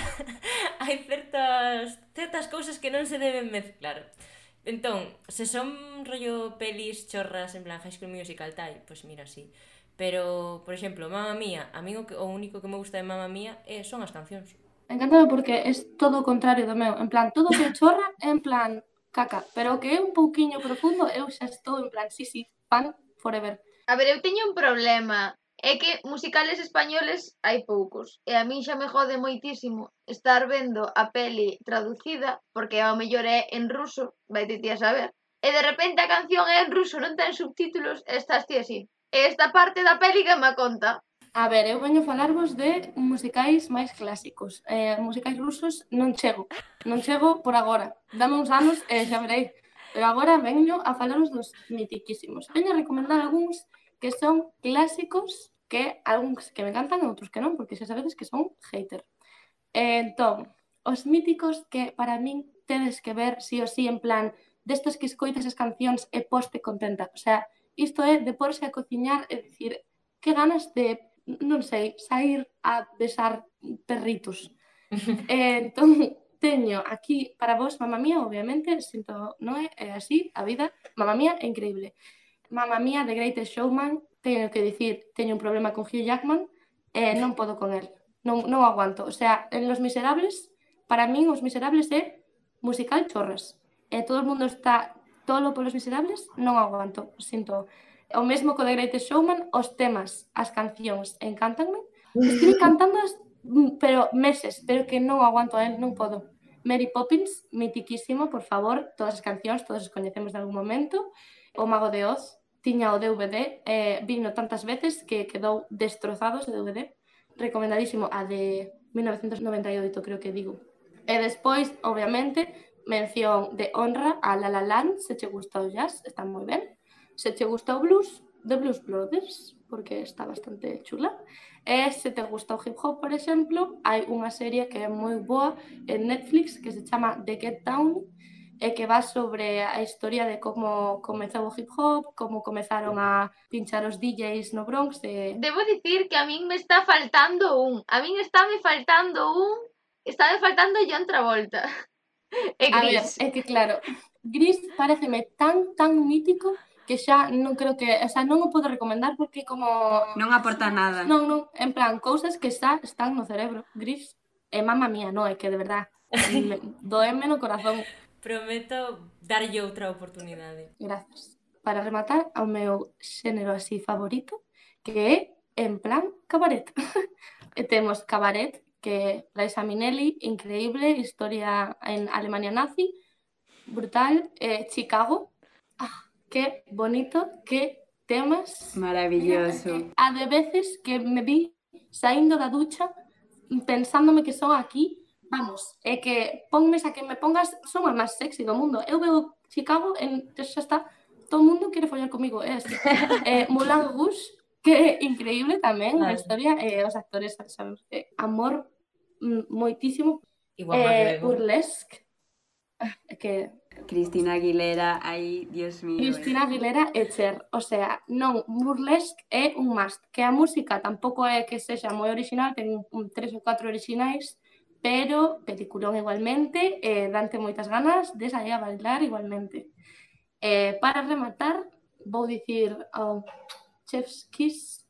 hai certas certas cousas que non se deben mezclar. Entón, se son rollo pelis chorras en plan High School Musical tal, pois pues mira, sí. Pero, por exemplo, Mamma Mía, a mí o, que, o único que me gusta de Mamma Mía é, son as cancións. Encantado porque é todo o contrario do meu. En plan, todo que chorra é en plan caca, pero o que é un pouquiño profundo eu xa estou en plan, sí, sí, fan forever. A ver, eu teño un problema. É que musicales españoles hai poucos, e a min xa me jode moitísimo estar vendo a peli traducida, porque ao mellor é en ruso, vai ti a saber, e de repente a canción é en ruso, non ten subtítulos, e estás ti así. E esta parte da peli que me conta. A ver, eu veño a falarvos de musicais máis clásicos. Eh, musicais rusos non chego, non chego por agora. Dame uns anos e xa verei. Pero agora veño a falaros dos mitiquísimos. Veño a recomendar algúns que son clásicos, que algúns que me encantan e outros que non, porque xa sabedes que son hater. Entón, os míticos que para min tedes que ver sí o sí en plan destes que escoitas as cancións e poste contenta. O sea, isto é de porse a cociñar e dicir que ganas de, non sei, sair a besar perritos. Entón, teño aquí para vos Mamma Mía, obviamente, sinto, non é, é así, a vida. Mamma Mía é increíble. Mamma Mía, The Greatest Showman, teño que dicir, teño un problema con Hugh Jackman e eh, non podo con el, non, non aguanto. O sea, en Los Miserables, para min Os Miserables é musical chorras. E todo o mundo está tolo polos Miserables, non aguanto, sinto. O mesmo co The Greatest Showman, os temas, as cancións, encántanme. Estive cantando, pero meses, pero que non aguanto a él, non podo. Mary Poppins, mitiquísimo, por favor, todas as cancións, todos os coñecemos de algún momento. O Mago de Oz, tiña o D V D, eh, vino tantas veces que quedou destrozado ese D V D. Recomendadísimo a de mil novecentos noventa e oito, creo que digo. E despois, obviamente, mención de honra a La La Land, se che gusta o jazz, está moi ben. Se che gusta o blues, The Blues Brothers, porque está bastante chula. E se te gusta o hip hop, por exemplo, hai unha serie que é moi boa en Netflix que se chama The Get Down, e que va sobre a historia de como comezou o hip hop, como comezaron a pinchar os D Js no Bronx. E... Debo dicir que a min me está faltando un. A min está me faltando un. Está me faltando John Travolta. E Gris. A ver, é que claro, Gris pareceme tan, tan mítico que xa non creo que... O sea, non o podo recomendar porque como... Non aporta nada. Non, non, en plan, cousas que xa están no cerebro. Gris. E Mamma Mía, non, é que de verdad, doeme no corazón. Prometo darlle outra oportunidade. Gracias. Para rematar, ao meu xénero así favorito, que é en plan cabaret. E temos Cabaret, que Liza Minnelli, increíble, historia en Alemania nazi, brutal, eh, Chicago, ah, que bonito, que temas. Maravilloso. A de veces que me vi saindo da ducha pensándome que son aquí, vamos, é que ponmes a que me pongas, son a máis sexy do mundo. Eu veo Chicago, en, xa está, todo o mundo quere follar comigo, é así. eh, Moulin Rouge, que é increíble tamén, a Vale. historia, e eh, os actores, sabes, eh, amor mm, moitísimo. Igual Eh, McGregor. Burlesque, ah, é que Cristina Aguilera, aí, Dios mío. Cristina Aguilera e Cher, o sea, non, Burlesque é un must, que a música tampouco é que sexa moi original, ten un, un tres ou catro originais, pero peliculón igualmente, eh, dante moitas ganas de sair a bailar igualmente. Eh, para rematar, vou dicir ao Chef's Kiss,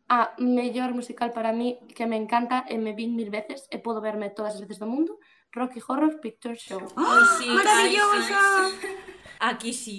a mellor musical para mí que me encanta e me vin mil veces e podo verme todas as veces do mundo, Rocky Horror Picture Show. Ai, sí, ¡Maravillosa! ai, sí. Aquí sí.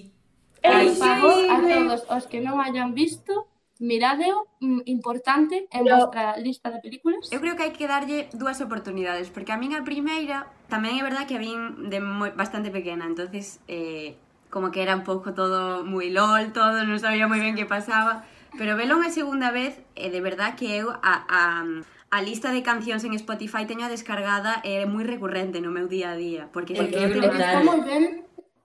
E Ai, por sí. favor, a todos os que non hayan visto, miradeo, mm, importante en Pero- vuestra lista de películas. Eu creo que hai que darlle dúas oportunidades, porque a min a primeira tamén é verdad que a vin de moi, bastante pequena, entonces eh, como que era un pouco todo moi lol, todo, non sabía moi ben que pasaba, pero velo unha segunda vez, e de verdad que eu a, a, a lista de cancións en Spotify teño descargada e é moi recurrente no meu día a día, porque É sí que que é eu E teño- que está moi ben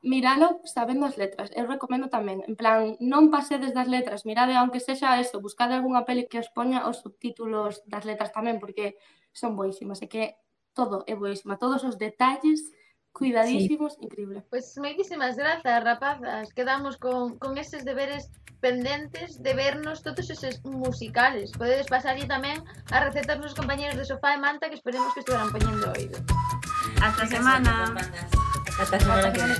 miralo sabendo as letras. Eu recomendo tamén, en plan, non pasedes das letras, mirade aunque sexa eso, buscade algunha peli que os poña os subtítulos das letras tamén, porque son boísimas, e que todo é boísima, todos os detalles cuidadísimos, increíble. Pois moitísimas grazas, rapazas. Quedamos con, con eses deberes pendentes de vernos todos eses musicales. Podedes pasarlle tamén a recetas nos compañeros de Sofá e Manta que esperemos que estiveran poñendo oído. Hasta semana. Hasta a semana que vem.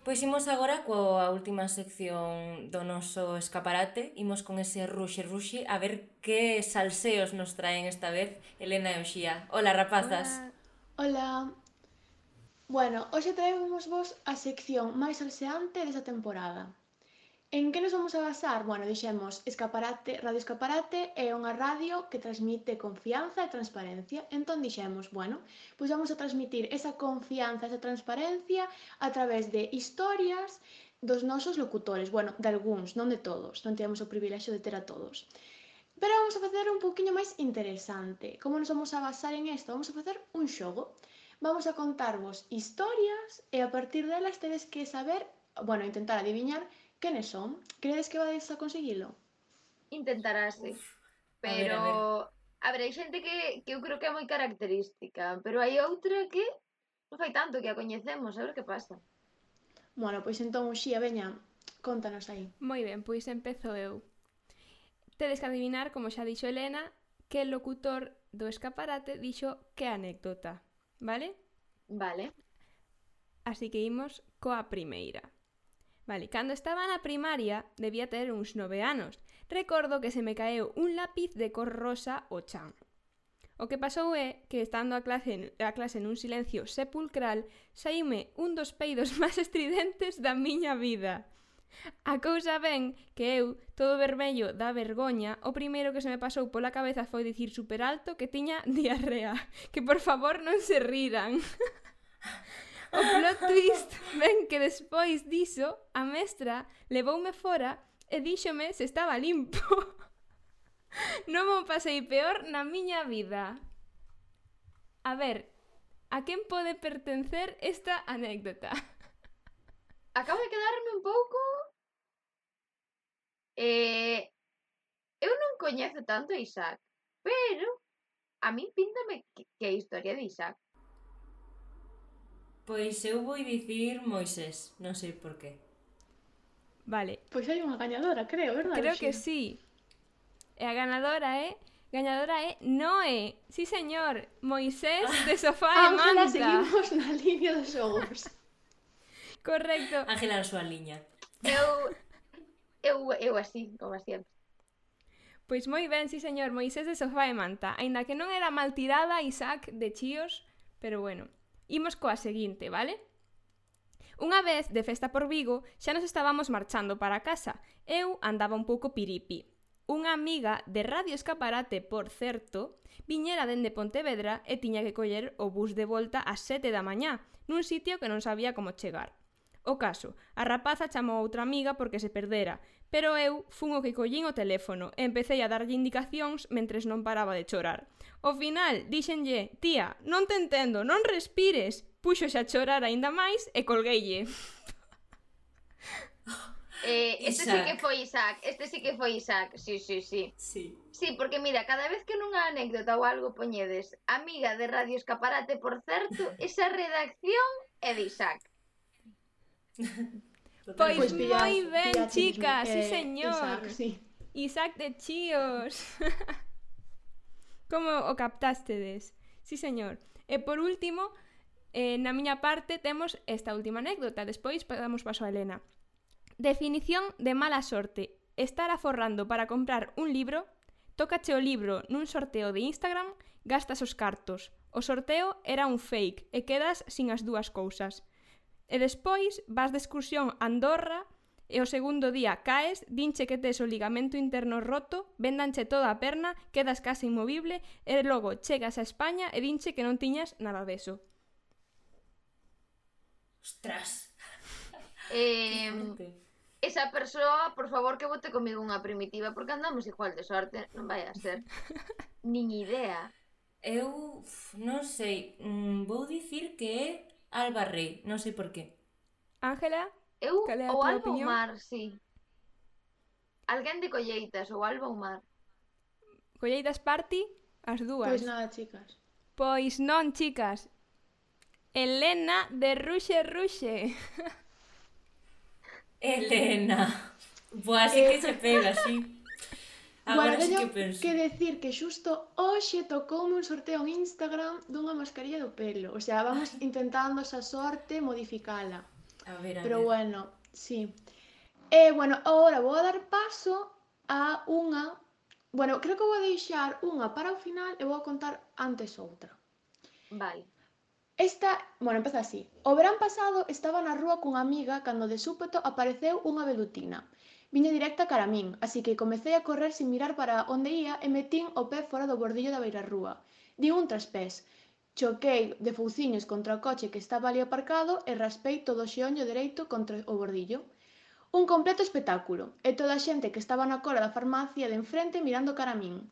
Pois imos agora coa última sección do noso escaparate. Imos con ese ruxe ruxe a ver que salseos nos traen esta vez Elena e Uxía. Hola, rapazas. Hola. Bueno, hoxe traemos vos a sección máis salseante desta temporada. En que nos vamos a basar? Bueno, dixemos Escaparate, Radio Escaparate é unha radio que transmite confianza e transparencia. Entón dixemos, bueno, pois vamos a transmitir esa confianza, esa transparencia a través de historias dos nosos locutores. Bueno, de algúns, non de todos. Non temos o privilexio de ter a todos. Pero vamos a facer un pouquiño máis interesante. Como nos vamos a basar en isto? Vamos a facer un xogo. Vamos a contarvos historias e a partir delas tedes que saber, bueno, intentar adiviñar quenes son. Credes que vades a conseguilo? Intentarase. A ver, a ver. Pero, a ver, hai xente que, que eu creo que é moi característica, pero hai outra que non fai tanto que a coñecemos, a ver que pasa. Bueno, pois entón, Uxía, veña, contanos aí. Moi ben, pois empezo eu. Tedes que adivinar, como xa dixo Elena, que el locutor do escaparate dixo que anécdota, vale? Vale. Así que imos coa primeira. Vale, cando estaba na primaria debía ter uns nove anos. Recordo que se me caeu un lápiz de cor rosa ao chan. O que pasou é que estando a clase, a clase nun silencio sepulcral saíme un dos peidos máis estridentes da miña vida. A cousa ben que eu, todo vermello da vergoña, o primeiro que se me pasou pola cabeza foi dicir super alto que tiña diarrea, que por favor non se riran. O plot twist ven que despois diso a mestra levoume fora e díxome se estaba limpo. Non mo pasei peor na miña vida. A ver, a quen pode pertencer esta anécdota? Acabo de quedarme un pouco... Eh, eu non coñezo tanto a Isaac, pero a mí píntame que, que é a historia de Isaac. Pois eu vou dicir Moisés, non sei por qué. Vale, Pois hai unha gañadora, creo, verdade? creo que Uxía? sí. E a ganadora é Gañadora é Noé. Sí, señor. Moisés de Sofá e Ángela, Manta. seguimos na línea dos xogos. Correcto. Ángela na súa liña. Eu, eu, eu así, como sempre. Pois moi ben, sí, señor. Moisés de Sofá e Manta. Aínda que non era mal tirada, Isaac de Chíos, pero bueno. Imos coa seguinte, vale? Unha vez, de festa por Vigo, xa nos estábamos marchando para casa. Eu andaba un pouco piripi. Unha amiga de Radio Escaparate, por certo, viñera dende Pontevedra e tiña que coller o bus de volta ás sete da mañá, nun sitio que non sabía como chegar. O caso, a rapaza chamou a outra amiga porque se perdera, pero eu fun o que collín o teléfono e empecé a darlle indicacións mentres non paraba de chorar. Ao final, díxenlle, tía, non te entendo, non respires. Puxose a chorar aínda máis e colgueille. Eh, este Isaac. sí que foi Isaac, este sí que foi Isaac, sí, sí, sí. Sí. Sí, porque mira, cada vez que nunha anécdota ou algo poñedes amiga de Radio Escaparate, por certo, esa redacción é de Isaac. Pois Pois pillas- moi ben, pillaches, chicas, sí, eh, señor. Isaac, sí. Isaac de Chíos. Como o captástedes? Sí, señor. E por último, eh, na miña parte temos esta última anécdota, despois damos paso a Elena. Definición de mala sorte. Estar aforrando para comprar un libro, tócache o libro nun sorteo de Instagram, gastas os cartos. O sorteo era un fake e quedas sin as dúas cousas. E despois vas de excursión a Andorra e o segundo día caes, dinche que tes o ligamento interno roto, véndanche toda a perna, quedas case inmovible e logo chegas a España e dinche que non tiñas nada deso. Ostras. Eh, esa persoa, por favor, que vote comigo unha primitiva, porque andamos igual de sorte, non vai a ser. Nin idea. Eu uf, non sei, mm, vou dicir que é Alba Rei, non sei por qué. Ángela? Eu, Cal é a ou túa Alba ou opinión? Mar, sí. Alguén de Colleitas, ou Alba ou Mar. Colleitas Party? As dúas. Pois nada, chicas. Pois non, chicas. Elena de Ruxe Ruxe. Elena. Boa, así que se pega, sí. Bueno, Agora sí teño que penso. que decir que xusto hoxe tocoume un sorteo en Instagram dunha mascarilla do pelo. O sea, vamos intentando esa sorte modificala. A ver, a Pero ver. bueno, sí. E, bueno, agora vou a dar paso a unha... Bueno, creo que vou deixar unha para o final e vou a contar antes outra. Vale. Esta, bueno, empeza así. O verán pasado estaba na rúa cunha amiga cando de súpeto apareceu unha velutina. Viña directa cara a min, así que comecei a correr sin mirar para onde ía e metín o pé fora do bordillo da beirarrúa. Di un traspés. Choquei de fouciños contra o coche que estaba ali aparcado e raspei todo o xeonllo dereito contra o bordillo. Un completo espectáculo, e toda a xente que estaba na cola da farmacia de enfrente mirando cara a min.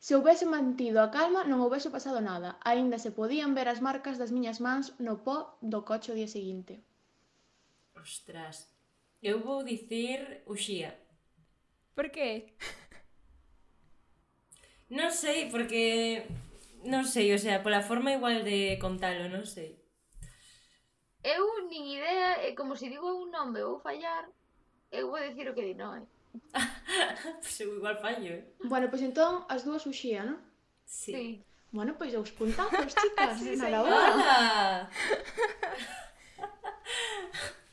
Se houbese mantido a calma non houbese pasado nada, aínda se podían ver as marcas das miñas mans no pó do coche o día seguinte. Ostras. Eu vou dicir Uxía. Por qué? Non sei, porque... Non sei, o sea, pola forma igual de contalo, non sei. Eu nin idea, e como se digo un nome vou fallar, eu vou dicir o que di Noé. Pois eu igual fallo, eh? Bueno, pois entón as dúas uxía, non? Sí. Sí. Bueno, pois dous puntazos, chicas, Sí, nada señor. boa. ¡Hala!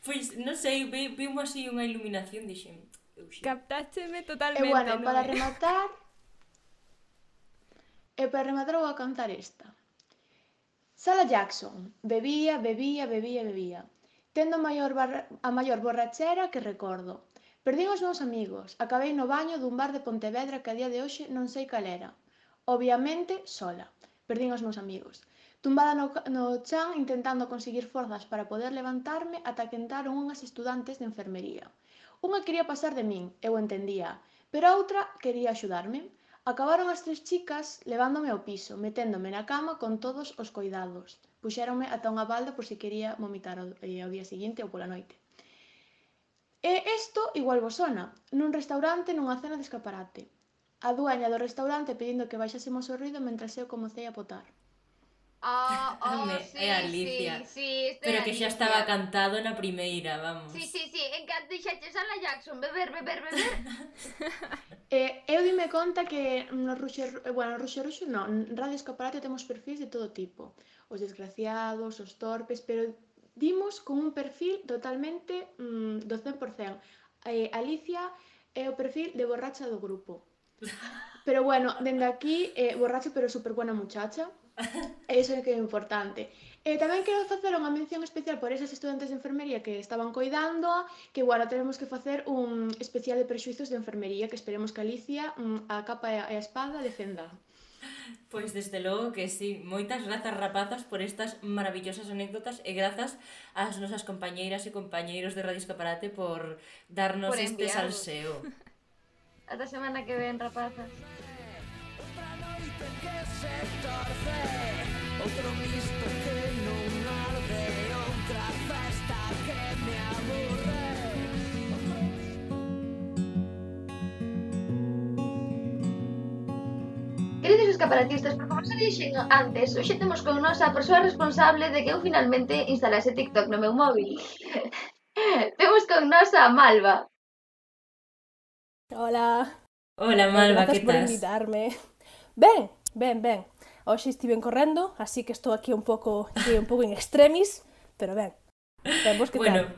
Pois, non sei, vi, vimos así unha iluminación, dixen, Uxía. Captácheme E totalmente, bueno, para Noé. rematar... E para rematar vou a cantar esta. Sala Jackson. Bebía, bebía, bebía, bebía. Tendo a maior, barra... a maior borrachera que recordo. Perdín os meus amigos. Acabei no baño dun bar de Pontevedra que a día de hoxe non sei cal era. Obviamente, sola. Perdín os meus amigos. Tumbada no, no chan intentando conseguir forzas para poder levantarme ata que entraron unhas estudantes de enfermería. Unha quería pasar de min, eu entendía, pero a outra quería axudarme. Acabaron as tres chicas levándome ao piso, meténdome na cama con todos os coidados. Puxéronme ata unha balda por si quería vomitar ao, eh, ao día seguinte ou pola noite. E isto igual vos sona, nun restaurante nunha cena de escaparate. A dueña do restaurante pedindo que baixásemos o ruido mentras eu comecei a potar. Ah, oh, Home, sí, é Alicia. sí, sí, este Pero é que xa Alicia. estaba cantado na primeira, vamos. Sí, sí, sí, encanta fixeches a la Jackson, beber, beber, beber. Eh, eu dime conta que no Ruxe, bueno, no Ruxe Ruxe non, en Radio Escaparate temos perfis de todo tipo. Os desgraciados, os torpes, pero dimos con un perfil totalmente mm, do cen por cen. Eh, Alicia é o perfil de borracha do grupo. Pero bueno, dende aquí, eh, borracha pero super buena muchacha. Eso é que é importante. E tamén quero facer unha mención especial por esas estudantes de enfermería que estaban coidando, que, bueno, tenemos que facer un especial de prexuizos de enfermería que esperemos que Alicia, mm, a capa e a espada, defenda. Pois desde logo que sí, moitas grazas rapazas por estas maravillosas anécdotas e grazas ás nosas compañeiras e compañeiros de Radio Escaparate por darnos Por este enviarvos. salseo. Ata semana que ven, rapazas. Outro misto que non arde, outra festa que me aburre. Queridos escaparatistas, por como xa dixen antes, hoxe temos con nós a persoa responsable de que eu finalmente instalase TikTok no meu móvil. Temos con nós a Malva. Hola. Hola, Malva, Grazas que por tas? invitarme. Ben, ben, ben. Hoxe estiven correndo, así que estou aquí un pouco, aquí un pouco en extremis, pero ben. Ben, vos que Bueno, tal?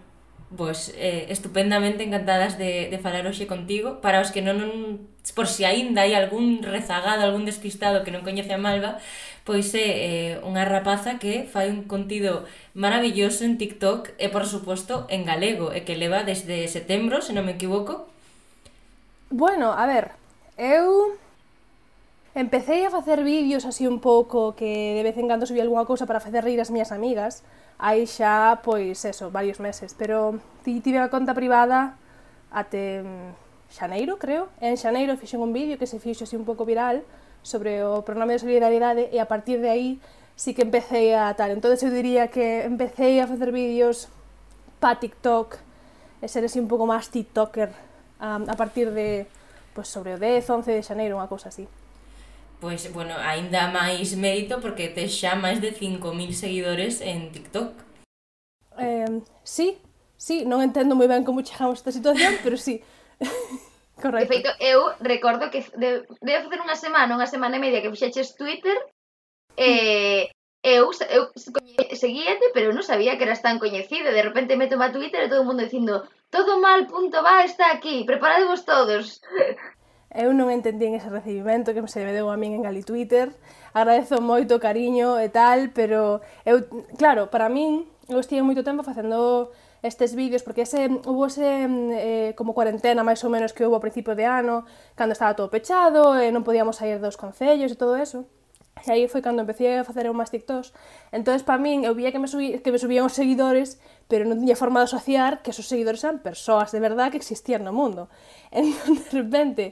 pois eh, estupendamente encantadas de, de falar hoxe contigo. Para os que non, non por si aínda hai algún rezagado, algún despistado que non coñece a Malva, pois é eh, unha rapaza que fai un contido maravilloso en TikTok e, por suposto, en galego, e que leva desde setembro, se non me equivoco. Bueno, a ver, eu empecé a facer vídeos así un pouco que de vez en cando subía algunha cousa para facer rir as miñas amigas, hai xa, pois, eso, varios meses, pero tive a conta privada até xaneiro, creo, e en xaneiro fixen un vídeo que se fixo así un pouco viral sobre o pronome de solidaridade e a partir de aí sí que empecé a tal, entonces eu diría que empecé a facer vídeos pa TikTok e ser así un pouco máis tiktoker um, a partir de, pois, sobre o dez, once de xaneiro, unha cousa así. Pois, bueno, aínda máis mérito porque tes xa máis de cinco mil seguidores en TikTok. Eh, sí, sí, non entendo moi ben como chegamos a esta situación, pero sí. Correcto. De feito, eu recordo que de, debe facer unha semana, unha semana e media que fixeches Twitter, e eu, eu seguíate, pero non sabía que eras tan coñecida. De repente meto a Twitter e todo o mundo dicindo todo mal punto va está aquí, preparadevos todos. Eu non entendín ese recibimento que se me deu a min en Gali Twitter. Agradezo moito o cariño e tal, pero eu, claro, para min, eu estive moito tempo facendo estes vídeos, porque ese, hubo ese eh, como cuarentena máis ou menos que houve ao principio de ano, cando estaba todo pechado e non podíamos sair dos concellos e todo eso. E aí foi cando empecé a facer máis TikToks. Entonces, para min, eu vía que me, subí, que me subían os seguidores, pero non tiña forma de asociar que esos seguidores eran persoas de verdade que existían no mundo. Entón, de repente,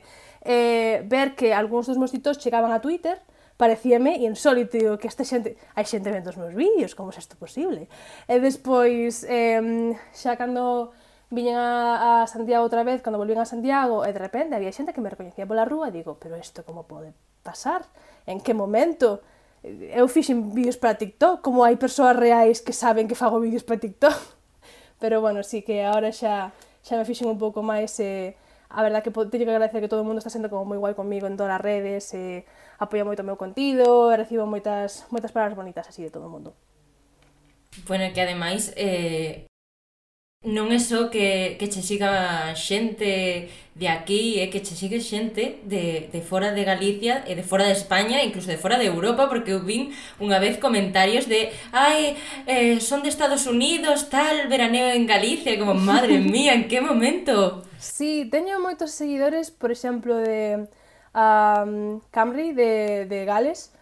eh, ver que algúns dos meus TikToks chegaban a Twitter, parecíame insólito, digo, que esta xente, hai xente vendo os meus vídeos, como é isto posible? E despois, eh, xa cando viñen a, a Santiago outra vez, cando volvín a Santiago, e de repente había xente que me recoñecía pola rúa, e digo, pero isto como pode pasar? En que momento? Eu fixen vídeos para TikTok, como hai persoas reais que saben que fago vídeos para TikTok. Pero, bueno, sí que agora xa, xa me fixen un pouco máis, eh, a verdad que teño que agradecer que todo o mundo está sendo como moi guai comigo en todas as redes, eh, apoia moito o meu contido, e recibo moitas, moitas palabras bonitas así de todo o mundo. Bueno, que ademais, eh, non é só que, que che siga xente de aquí, é que che sigue xente de, de fora de Galicia e de fora de España, incluso de fora de Europa, porque eu vin unha vez comentarios de ai, eh, son de Estados Unidos, tal, veraneo en Galicia, como, madre mía, en que momento? Sí, teño moitos seguidores, por exemplo, de um, Camry, de, de Gales.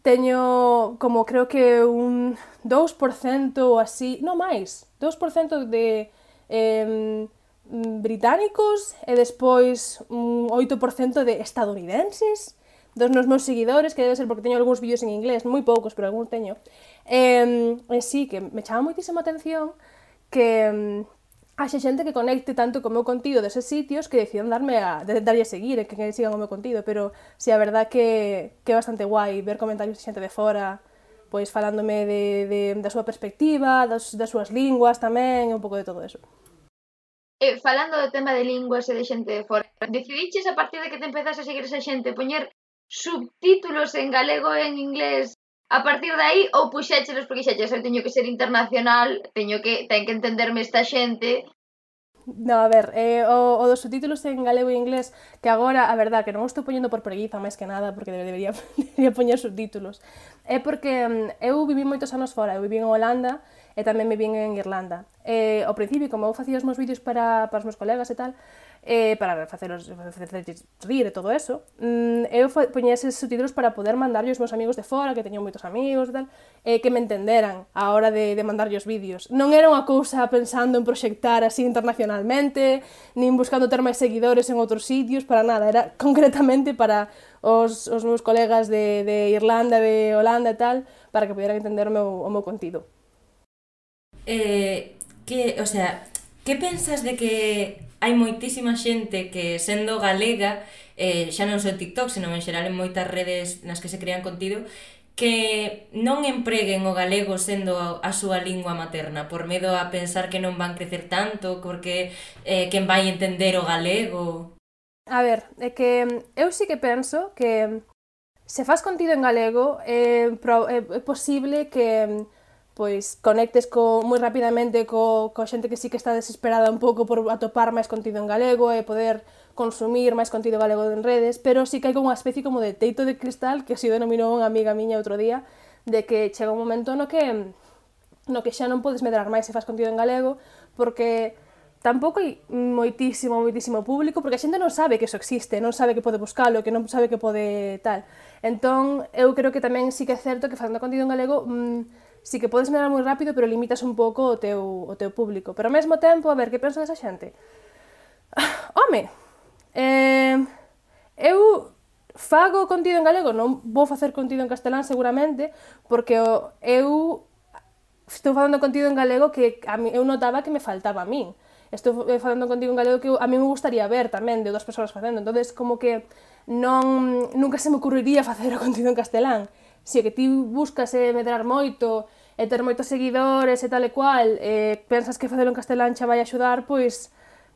Teño como creo que un dous por cento ou así, non máis, dous por cento de eh, británicos e despois un oito por cento de estadounidenses, dos nos meus seguidores, que debe ser porque teño algúns vídeos en inglés, moi poucos, pero algún teño. E, e sí, que me chama moitísima atención que haxe xente que conecte tanto co meu contido deses sitios que decidan darme a, de, darlle a seguir e que, que sigan o meu contido, pero si sí, a verdad que, que é bastante guai ver comentarios de xente de fora, pois falándome de, de, da súa perspectiva, das, das súas linguas tamén, e un pouco de todo eso. eh, falando do tema de linguas e de xente de fora, decidiches a partir de que te empezas a seguir esa xente poñer subtítulos en galego e en inglés a partir de aí ou puxéchelos porque xeches, eu teño que ser internacional, teño que, ten que entenderme esta xente. No, a ver, eh, o, o dos subtítulos en galego e inglés, que agora, a verdad, que non o estou poñendo por preguiza máis que nada, porque debería, debería poñer subtítulos, é porque um, eu viví moitos anos fora, eu viví en Holanda e tamén viví en Irlanda. E, ao principio, como eu facía os meus vídeos para, para os meus colegas e tal, eh, para faceros rir e todo eso, mm, eu poñía eses subtítulos para poder mandarlle aos meus amigos de fora, que teño moitos amigos e tal, e que me entenderan a hora de, de mandarlle os vídeos. Non era unha cousa pensando en proxectar así internacionalmente, nin buscando ter máis seguidores en outros sitios, para nada, era concretamente para os, os meus colegas de, de Irlanda, de Holanda e tal, para que pudieran entender o meu, o meu contido. Eh, que, o sea, que pensas de que hai moitísima xente que, sendo galega, eh, xa non só en TikTok, senón en xeral en moitas redes nas que se crean contido, que non empreguen o galego sendo a súa lingua materna, por medo a pensar que non van crecer tanto, porque eh, quen vai entender o galego? A ver, é que eu sí que penso que se faz contido en galego é, é posible que pois conectes co, moi rapidamente co, co xente que sí que está desesperada un pouco por atopar máis contido en galego e poder consumir máis contido galego en redes, pero sí que hai como unha especie como de teito de cristal, que así denominou unha amiga miña outro día, de que chega un momento no que no que xa non podes medrar máis se faz contido en galego, porque tampouco hai moitísimo, moitísimo público, porque a xente non sabe que eso existe, non sabe que pode buscalo, que non sabe que pode tal. Entón, eu creo que tamén sí que é certo que facendo contido en galego mmm, sí que podes medrar moi rápido, pero limitas un pouco o teu, o teu público. Pero ao mesmo tempo, a ver, que penso desa xente? Home, eh, eu fago contido en galego, non vou facer contido en castelán seguramente, porque eu estou falando contido en galego que a mí, eu notaba que me faltaba a min. Estou falando contigo en galego que a mí me gustaría ver tamén de outras persoas facendo, entonces como que non, nunca se me ocurriría facer o contido en castelán. Se que ti buscas eh, medrar moito e ter moitos seguidores e tal e cual, e pensas que facelo en castelán xa vai axudar, pois,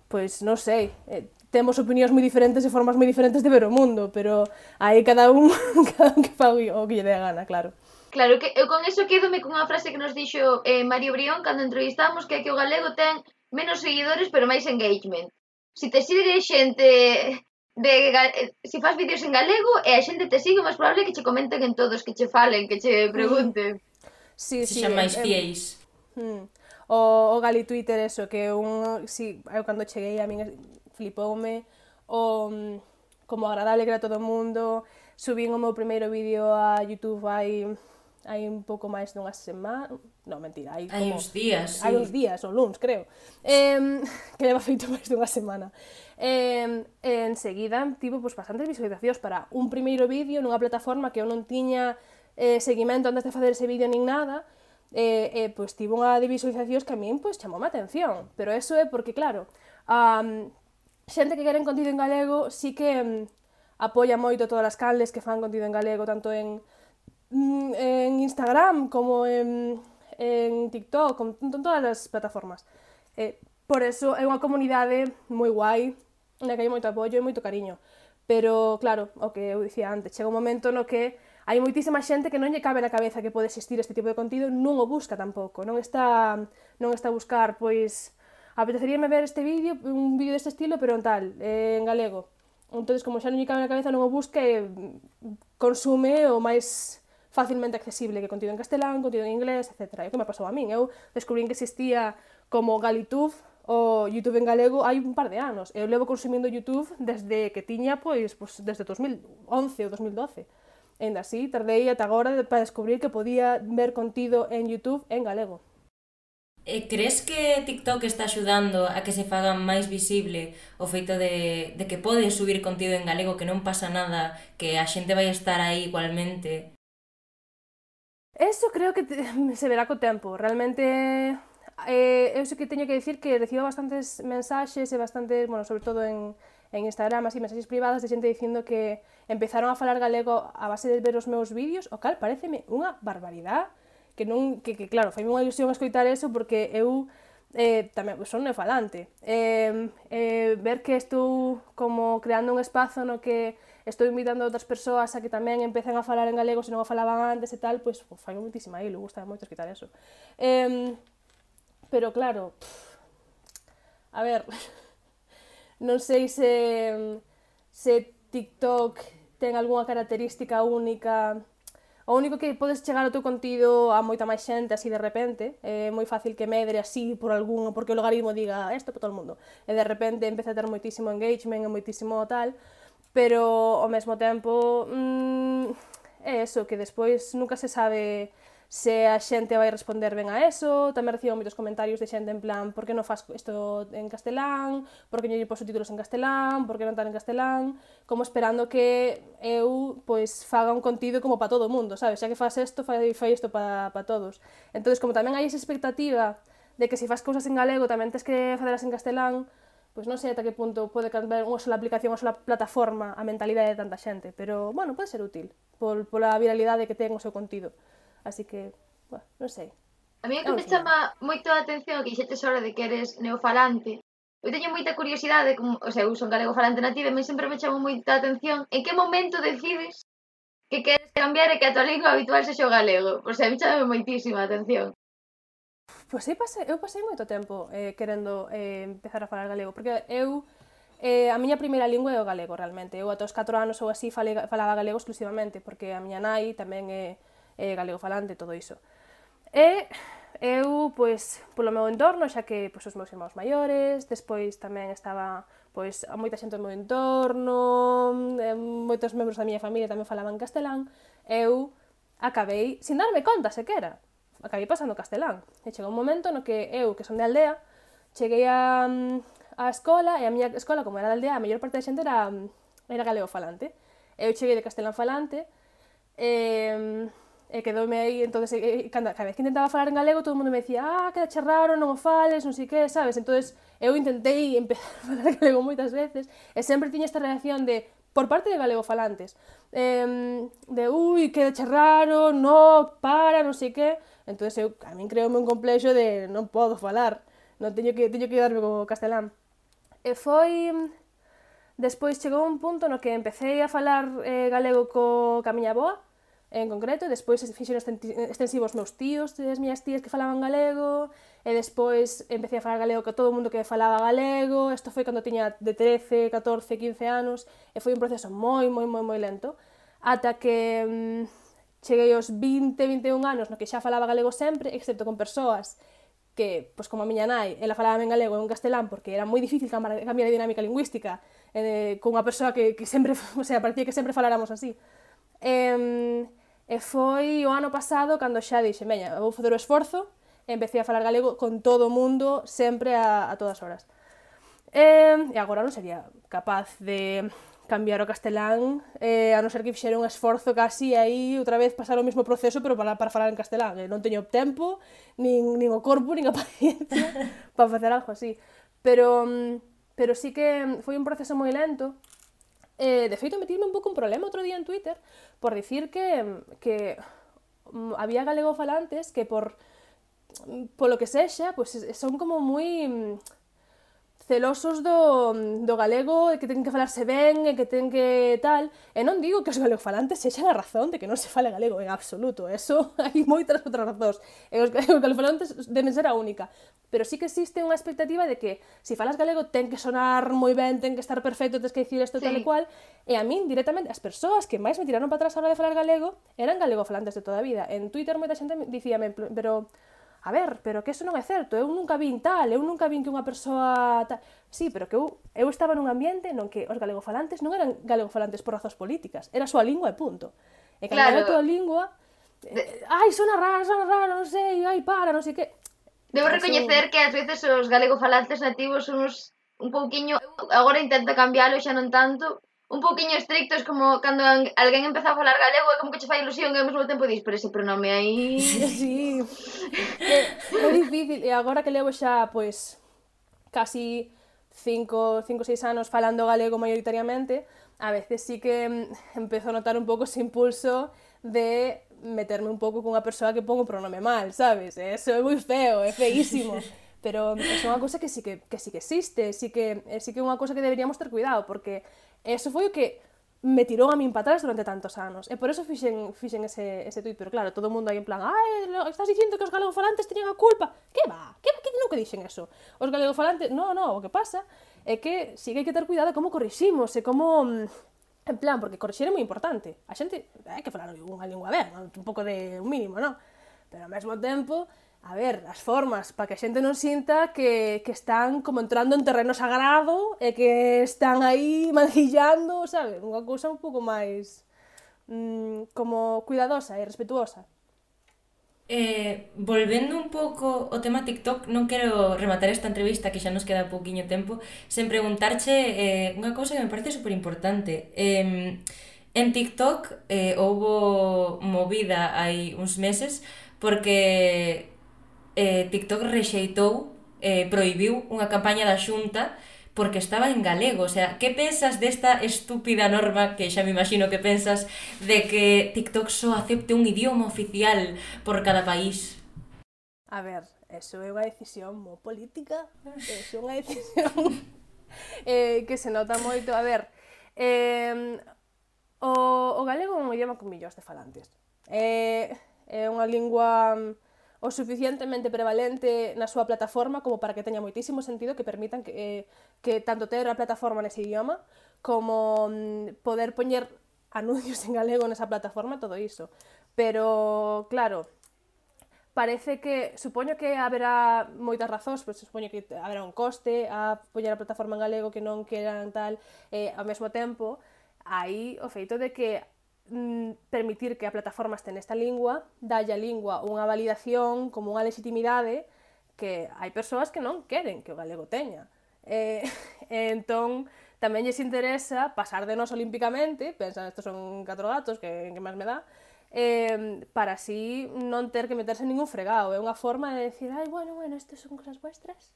pois non sei, eh, temos opinións moi diferentes e formas moi diferentes de ver o mundo, pero aí cada un, cada un que fa o que lle dé a gana, claro. Claro, que eu con eso quedome con unha frase que nos dixo eh, Mario Brión cando entrevistamos, que é que o galego ten menos seguidores pero máis engagement. Si te sigue xente de si faz vídeos en galego e a xente te sigue, máis probable que che comenten en todos, que che falen, que che pregunten. Sí, sí, sí, xa máis eh, fieis. Hmm. O, o Gali Twitter, eso, que un, si, eu cando cheguei a min flipoume, o como agradable que era todo o mundo, subín o meu primeiro vídeo a YouTube hai hai un pouco máis dunha semana, non, mentira, hai como... Hai uns días, sí. Hai uns días, ou luns, creo, eh, que leva feito máis dunha semana. Eh, enseguida, tivo, pues, bastantes visualizacións para un primeiro vídeo nunha plataforma que eu non tiña eh, seguimento antes de facer ese vídeo nin nada, e, eh, eh, pois, tivo unha de visualizacións que a min, pois, chamoume a atención, pero eso é porque, claro, um, xente que queren contido en galego sí que um, apoia moito todas as canles que fan contido en galego, tanto en en Instagram como en, en TikTok, con, con todas as plataformas. Eh, por eso é unha comunidade moi guai, na que hai moito apoio e moito cariño. Pero, claro, o que eu dicía antes, chega un momento no que hai moitísima xente que non lle cabe na cabeza que pode existir este tipo de contido, non o busca tampouco, non está, non está a buscar, pois, apeteceríame ver este vídeo, un vídeo deste estilo, pero en tal, eh, en galego. Entón, como xa non lle cabe na cabeza, non o busca e consume o máis facilmente accesible que contido en castelán, contido en inglés, etcétera. E o que me pasou a min? Eu descubrín que existía como Galitube, o YouTube en galego, hai un par de anos. Eu levo consumindo YouTube desde que tiña, pois, pois desde dos mil once ou dos mil doce. E ainda así, tardei ata agora para descubrir que podía ver contido en YouTube en galego. E crees que TikTok está axudando a que se faga máis visible o feito de, de que podes subir contido en galego, que non pasa nada, que a xente vai estar aí igualmente? Eso creo que te, se verá co tempo. Realmente, eh, eu sei que teño que dicir que recibo bastantes mensaxes e bastantes, bueno, sobre todo en, en Instagram, así, mensaxes privadas de xente dicindo que empezaron a falar galego a base de ver os meus vídeos, o cal pareceme unha barbaridade, que non, que, que claro, faime unha ilusión escoitar eso porque eu eh, tamén son neofalante. Eh, eh, ver que estou como creando un espazo no que estou invitando a outras persoas a que tamén empecen a falar en galego se non o falaban antes e tal, pois pues, fai moitísima aí, gusta moito esquitar eso. Eh, pero claro, pff, a ver, non sei se, se TikTok ten algunha característica única. O único que podes chegar ao teu contido a moita máis xente así de repente, é moi fácil que medre así por algún, porque o logaritmo diga isto para todo o mundo, e de repente empeza a ter moitísimo engagement e moitísimo tal, pero ao mesmo tempo mmm, é eso, que despois nunca se sabe se a xente vai responder ben a eso. Tamén recibo moitos comentarios de xente en plan, por que non faz isto en castelán, por que non lle poso títulos en castelán, por que non tan en castelán, como esperando que eu pois faga un contido como para todo o mundo, sabes? Xa que faz isto, fai, fai isto para pa todos. Entonces, como tamén hai esa expectativa de que se faz cousas en galego tamén tens que facelas en castelán, pois non sei ata que punto pode cambiar unha sola aplicación, unha sola plataforma a mentalidade de tanta xente, pero, bueno, pode ser útil por, pola viralidade que ten o seu contido. Así que, bueno, non sei. A mí o que me chama moito a atención que dixetes ahora de que eres neofalante. Eu teño moita curiosidade, como, o sea, eu son galego falante nativa e me sempre me chama moita atención en que momento decides que queres cambiar e que a tua lingua habitual sexa o galego. O sea, me chama moitísima atención. Pois eu pasei, eu pasei moito tempo eh, querendo eh, empezar a falar galego, porque eu, eh, a miña primeira lingua é o galego, realmente. Eu ata os catro anos ou así fale, falaba galego exclusivamente, porque a miña nai tamén é eh, galego falante, todo iso. E eu, pois, polo meu entorno, xa que pois, os meus irmãos maiores, despois tamén estaba pois, a moita xente do meu entorno, eh, moitos membros da miña familia tamén falaban castelán, eu acabei, sin darme conta sequera, acabei pasando castelán. E chegou un momento no que eu, que son de aldea, cheguei a, a escola, e a miña escola, como era de aldea, a mellor parte da xente era, era galego falante. Eu cheguei de castelán falante, e... e quedoume aí, entonces, e, cada, cada vez que intentaba falar en galego, todo o mundo me decía, ah, quedache raro, non o fales, non sei que, sabes? Entonces, eu intentei empezar a falar galego moitas veces, e sempre tiña esta reacción de, por parte de galego falantes, eh, de, ui, quedache raro, no, para, non sei que, entonces, eu, a min creoume un complexo de, non podo falar, non teño que, teño que darme co castelán. E foi... Despois chegou un punto no que empecé a falar eh, galego co, ca miña avoa, en concreto, e despois fixeron extensivos meus tíos e as miñas tías que falaban galego, e despois empecé a falar galego con todo o mundo que falaba galego. Isto foi cando tiña de trece, catorce, quince anos, e foi un proceso moi, moi, moi, moi lento, ata que mmm, cheguei aos vinte, vinte e un anos no que xa falaba galego sempre, excepto con persoas que, pois como a miña nai, ela falaba en galego e en castelán, porque era moi difícil cambiar a dinámica lingüística eh, con unha persoa que, que sempre, o sea, parecía que sempre faláramos así. E, E foi o ano pasado cando xa dixe, veña, vou facer o esforzo, e empecé a falar galego con todo o mundo, sempre a, a todas horas. E, e agora non sería capaz de cambiar o castelán, eh, a non ser que fixera un esforzo casi aí, outra vez pasar o mesmo proceso, pero para, para falar en castelán. E non teño tempo, nin, nin o corpo, nin a paciencia para facer algo así. Pero, pero sí que foi un proceso moi lento. Eh, de feito, metirme un pouco un problema outro día en Twitter por dicir que, que um, había galego falantes que por polo que sexa, pues, son como moi celosos do, do galego e que ten que falarse ben e que ten que tal, e non digo que os galegofalantes sexan a razón de que non se fale galego en absoluto, eso hai moitas outras razóns, e os galegofalantes deben ser a única, pero sí que existe unha expectativa de que se falas galego ten que sonar moi ben, ten que estar perfecto, tens que dicir isto sí. Tal e cual, e a min directamente as persoas que máis me tiraron para atrás a hora de falar galego eran galegofalantes de toda a vida. En Twitter moita xente dicíame, pero a ver, pero que eso non é certo, eu nunca vin tal, eu nunca vin que unha persoa tal... Sí, pero que eu, eu estaba nun ambiente non que os galegofalantes non eran galegofalantes por razóns políticas, era a súa lingua e punto. E cando claro. Era a túa lingua, eh, ai, sona raro, sona raro, non sei, ai, para, non sei que... Debo eso... recoñecer que ás veces os galegofalantes nativos son uns un pouquiño... Agora intento cambialo, xa non tanto... un pouquiño estrictos, como cando alguén empeza a falar galego é como que che fai ilusión e ao mesmo tempo dis, pero ese pronome aí... Sí, é, é difícil, e agora que levo xa, pois, casi cinco, seis anos falando galego maioritariamente, a veces sí que empezo a notar un pouco ese impulso de meterme un pouco cunha persoa que pon o pronome mal, sabes? Eso é moi feo, é feísimo. pero é unha cousa que sí que, que sí que existe, sí que, sí que é unha cousa que deberíamos ter cuidado, porque eso foi o que me tirou a min para atrás durante tantos anos, e por eso fixen, fixen ese, ese tuit, pero claro, todo o mundo aí en plan, ai, estás dicindo que os galegofalantes teñen a culpa, que va, que, que nunca dixen eso, os galegofalantes, no, no, o que pasa é que sí que hai que ter cuidado como corriximos, e como, en plan, porque corrixir é moi importante, a xente, hai que falar unha lingua ben, un pouco de un mínimo, non? Pero ao mesmo tempo, a ver, as formas para que a xente non sinta que, que están como entrando en terreno sagrado e que están aí mancillando, sabe? Unha cousa un pouco máis mmm, como cuidadosa e respetuosa. Eh, volvendo un pouco ao tema TikTok, non quero rematar esta entrevista que xa nos queda pouquiño tempo sen preguntarche eh, unha cousa que me parece super importante. Eh, en TikTok eh, houbo movida hai uns meses porque eh, TikTok rexeitou, eh, prohibiu unha campaña da Xunta porque estaba en galego. O sea, que pensas desta estúpida norma, que xa me imagino que pensas, de que TikTok só acepte un idioma oficial por cada país? A ver, eso é unha decisión moi política, é unha decisión eh, que se nota moito. A ver, eh, o, o galego é un idioma con millóns de falantes. É, é unha lingua o suficientemente prevalente na súa plataforma como para que teña moitísimo sentido que permitan que, eh, que tanto ter a plataforma nese idioma como mm, poder poñer anuncios en galego nesa plataforma, todo iso. Pero, claro, parece que, supoño que haberá moitas razóns, pois supoño que haberá un coste a poñer a plataforma en galego que non queran tal, eh, ao mesmo tempo, aí o feito de que permitir que a plataforma este nesta lingua, dalle a lingua unha validación como unha legitimidade que hai persoas que non queren que o galego teña. Eh, entón, tamén lles interesa pasar de nos olímpicamente, pensan, estos son catro gatos, que, que máis me dá, eh, para así non ter que meterse en ningún fregado. É unha forma de decir, ai, bueno, bueno, estes son cosas vuestras.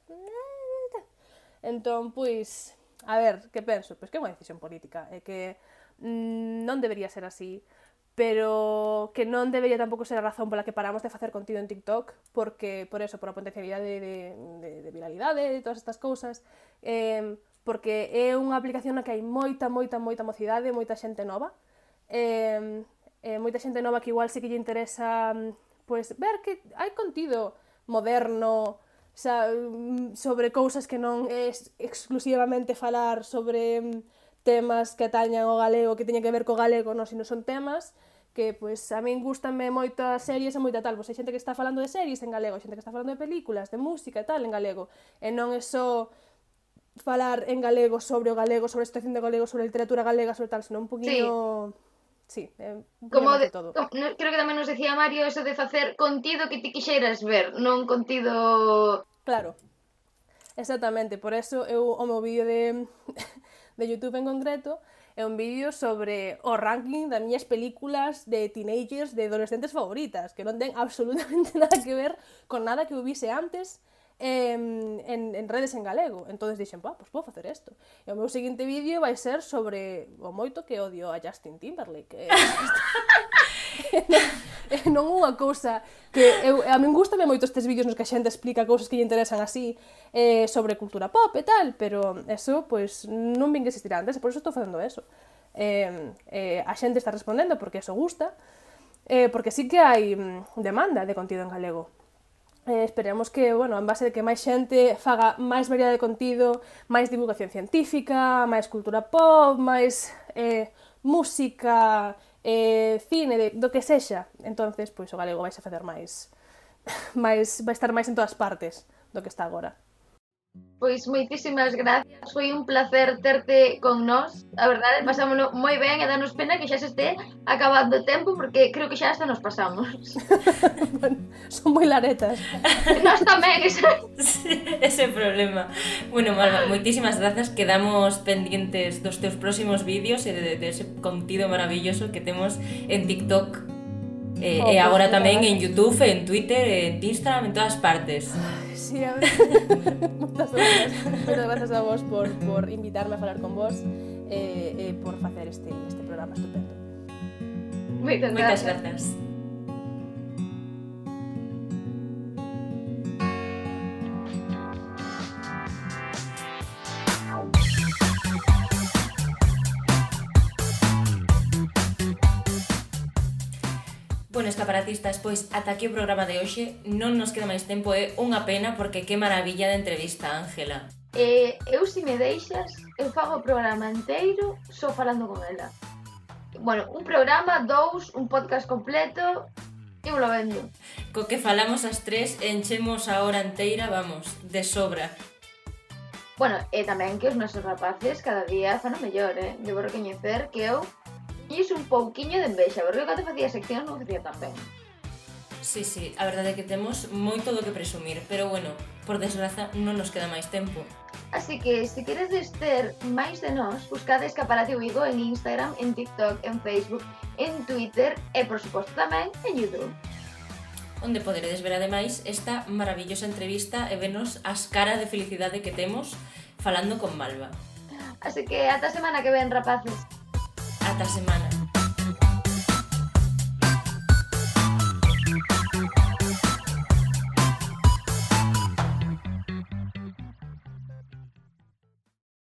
Entón, pois, a ver, que penso? Pois que é unha decisión política, é que non debería ser así, pero que non debería tampouco ser a razón pola que paramos de facer contido en TikTok, porque, por eso, por a potencialidade de, de, de viralidade, de todas estas cousas, eh, porque é unha aplicación na que hai moita, moita, moita mocidade, moita xente nova, eh, eh, moita xente nova que igual sí que lle interesa pues, ver que hai contido moderno, xa, sobre cousas que non é exclusivamente falar sobre temas que atañan ao galego, que teñen que ver co galego, non, sino son temas que, pois, a min gústanme moitas series e moita tal, pois hai xente que está falando de series en galego, hai xente que está falando de películas, de música e tal en galego, e non é só falar en galego sobre o galego, sobre a situación de galego, sobre a literatura galega, sobre tal, sino un poquinho... Sí, sí eh, un como de, de todo. Como, creo que tamén nos decía Mario eso de facer contido que ti quixeras ver, non contido... Claro, exactamente, por eso eu o meu vídeo de... de YouTube en concreto, é un vídeo sobre o ranking das miñas películas de teenagers, de adolescentes favoritas, que non ten absolutamente nada que ver con nada que eu vise antes en, en, en redes en galego. Entón dixen, pá, pois pues, podo facer isto. E o meu seguinte vídeo vai ser sobre o moito que odio a Justin Timberlake. Non unha cousa que eu, a min gustame moito estes vídeos nos que a xente explica cousas que lle interesan así eh, sobre cultura pop e tal, pero eso, pois, non vin que existir antes, e por eso estou facendo eso. Eh, eh, a xente está respondendo porque eso gusta, eh, porque sí que hai demanda de contido en galego. Eh, esperemos que, bueno, en base de que máis xente faga máis variedade de contido, máis divulgación científica, máis cultura pop, máis eh, música... Eh, cine, de, do que sexa, entonces, pois o galego vai a facer máis, máis, vai estar máis en todas partes do que está agora. Pois moitísimas gracias, foi un placer terte con nós, a verdade, pasámonos moi ben e danos pena que xa se este acabando o tempo, porque creo que xa hasta nos pasamos. Bueno, son moi laretas. Nós tamén, ese... Sí, ese problema. Bueno, Malva, moitísimas grazas, quedamos pendientes dos teus próximos vídeos e de, de ese contido maravilloso que temos en TikTok e, oh, e agora pues, tamén en YouTube, en Twitter, en Instagram, en todas partes. Sí, a ver. Moitas grazas. Moitas grazas a vos por, por invitarme a falar con vos e eh, eh, por facer este, este programa estupendo. Moitas grazas. grazas. Bueno, escaparatistas, pois ata aquí o programa de hoxe. Non nos queda máis tempo, é unha pena porque que maravilla de entrevista, Ángela. E eu, se me deixas, eu fago o programa inteiro só falando con ela. Bueno, un programa, dous, un podcast completo, eu lo vendo. Co que falamos as tres, enchemos a hora inteira, vamos, de sobra. Bueno, e tamén que os nosos rapaces cada día fan o mellor, eh? Debo recoñecer que eu iso un pouquiño de envexa, porque eu cando facía sección non facía tan ben. Sí, sí, a verdade é que temos moito do que presumir, pero bueno, por desgraza non nos queda máis tempo. Así que, se queredes ter máis de nós, buscade Escaparate Vigo en Instagram, en TikTok, en Facebook, en Twitter e, por suposto, tamén en YouTube. Onde poderedes ver ademais esta maravillosa entrevista e vernos as caras de felicidade que temos falando con Malva. Así que ata a semana que ven, rapaces. Ata semana.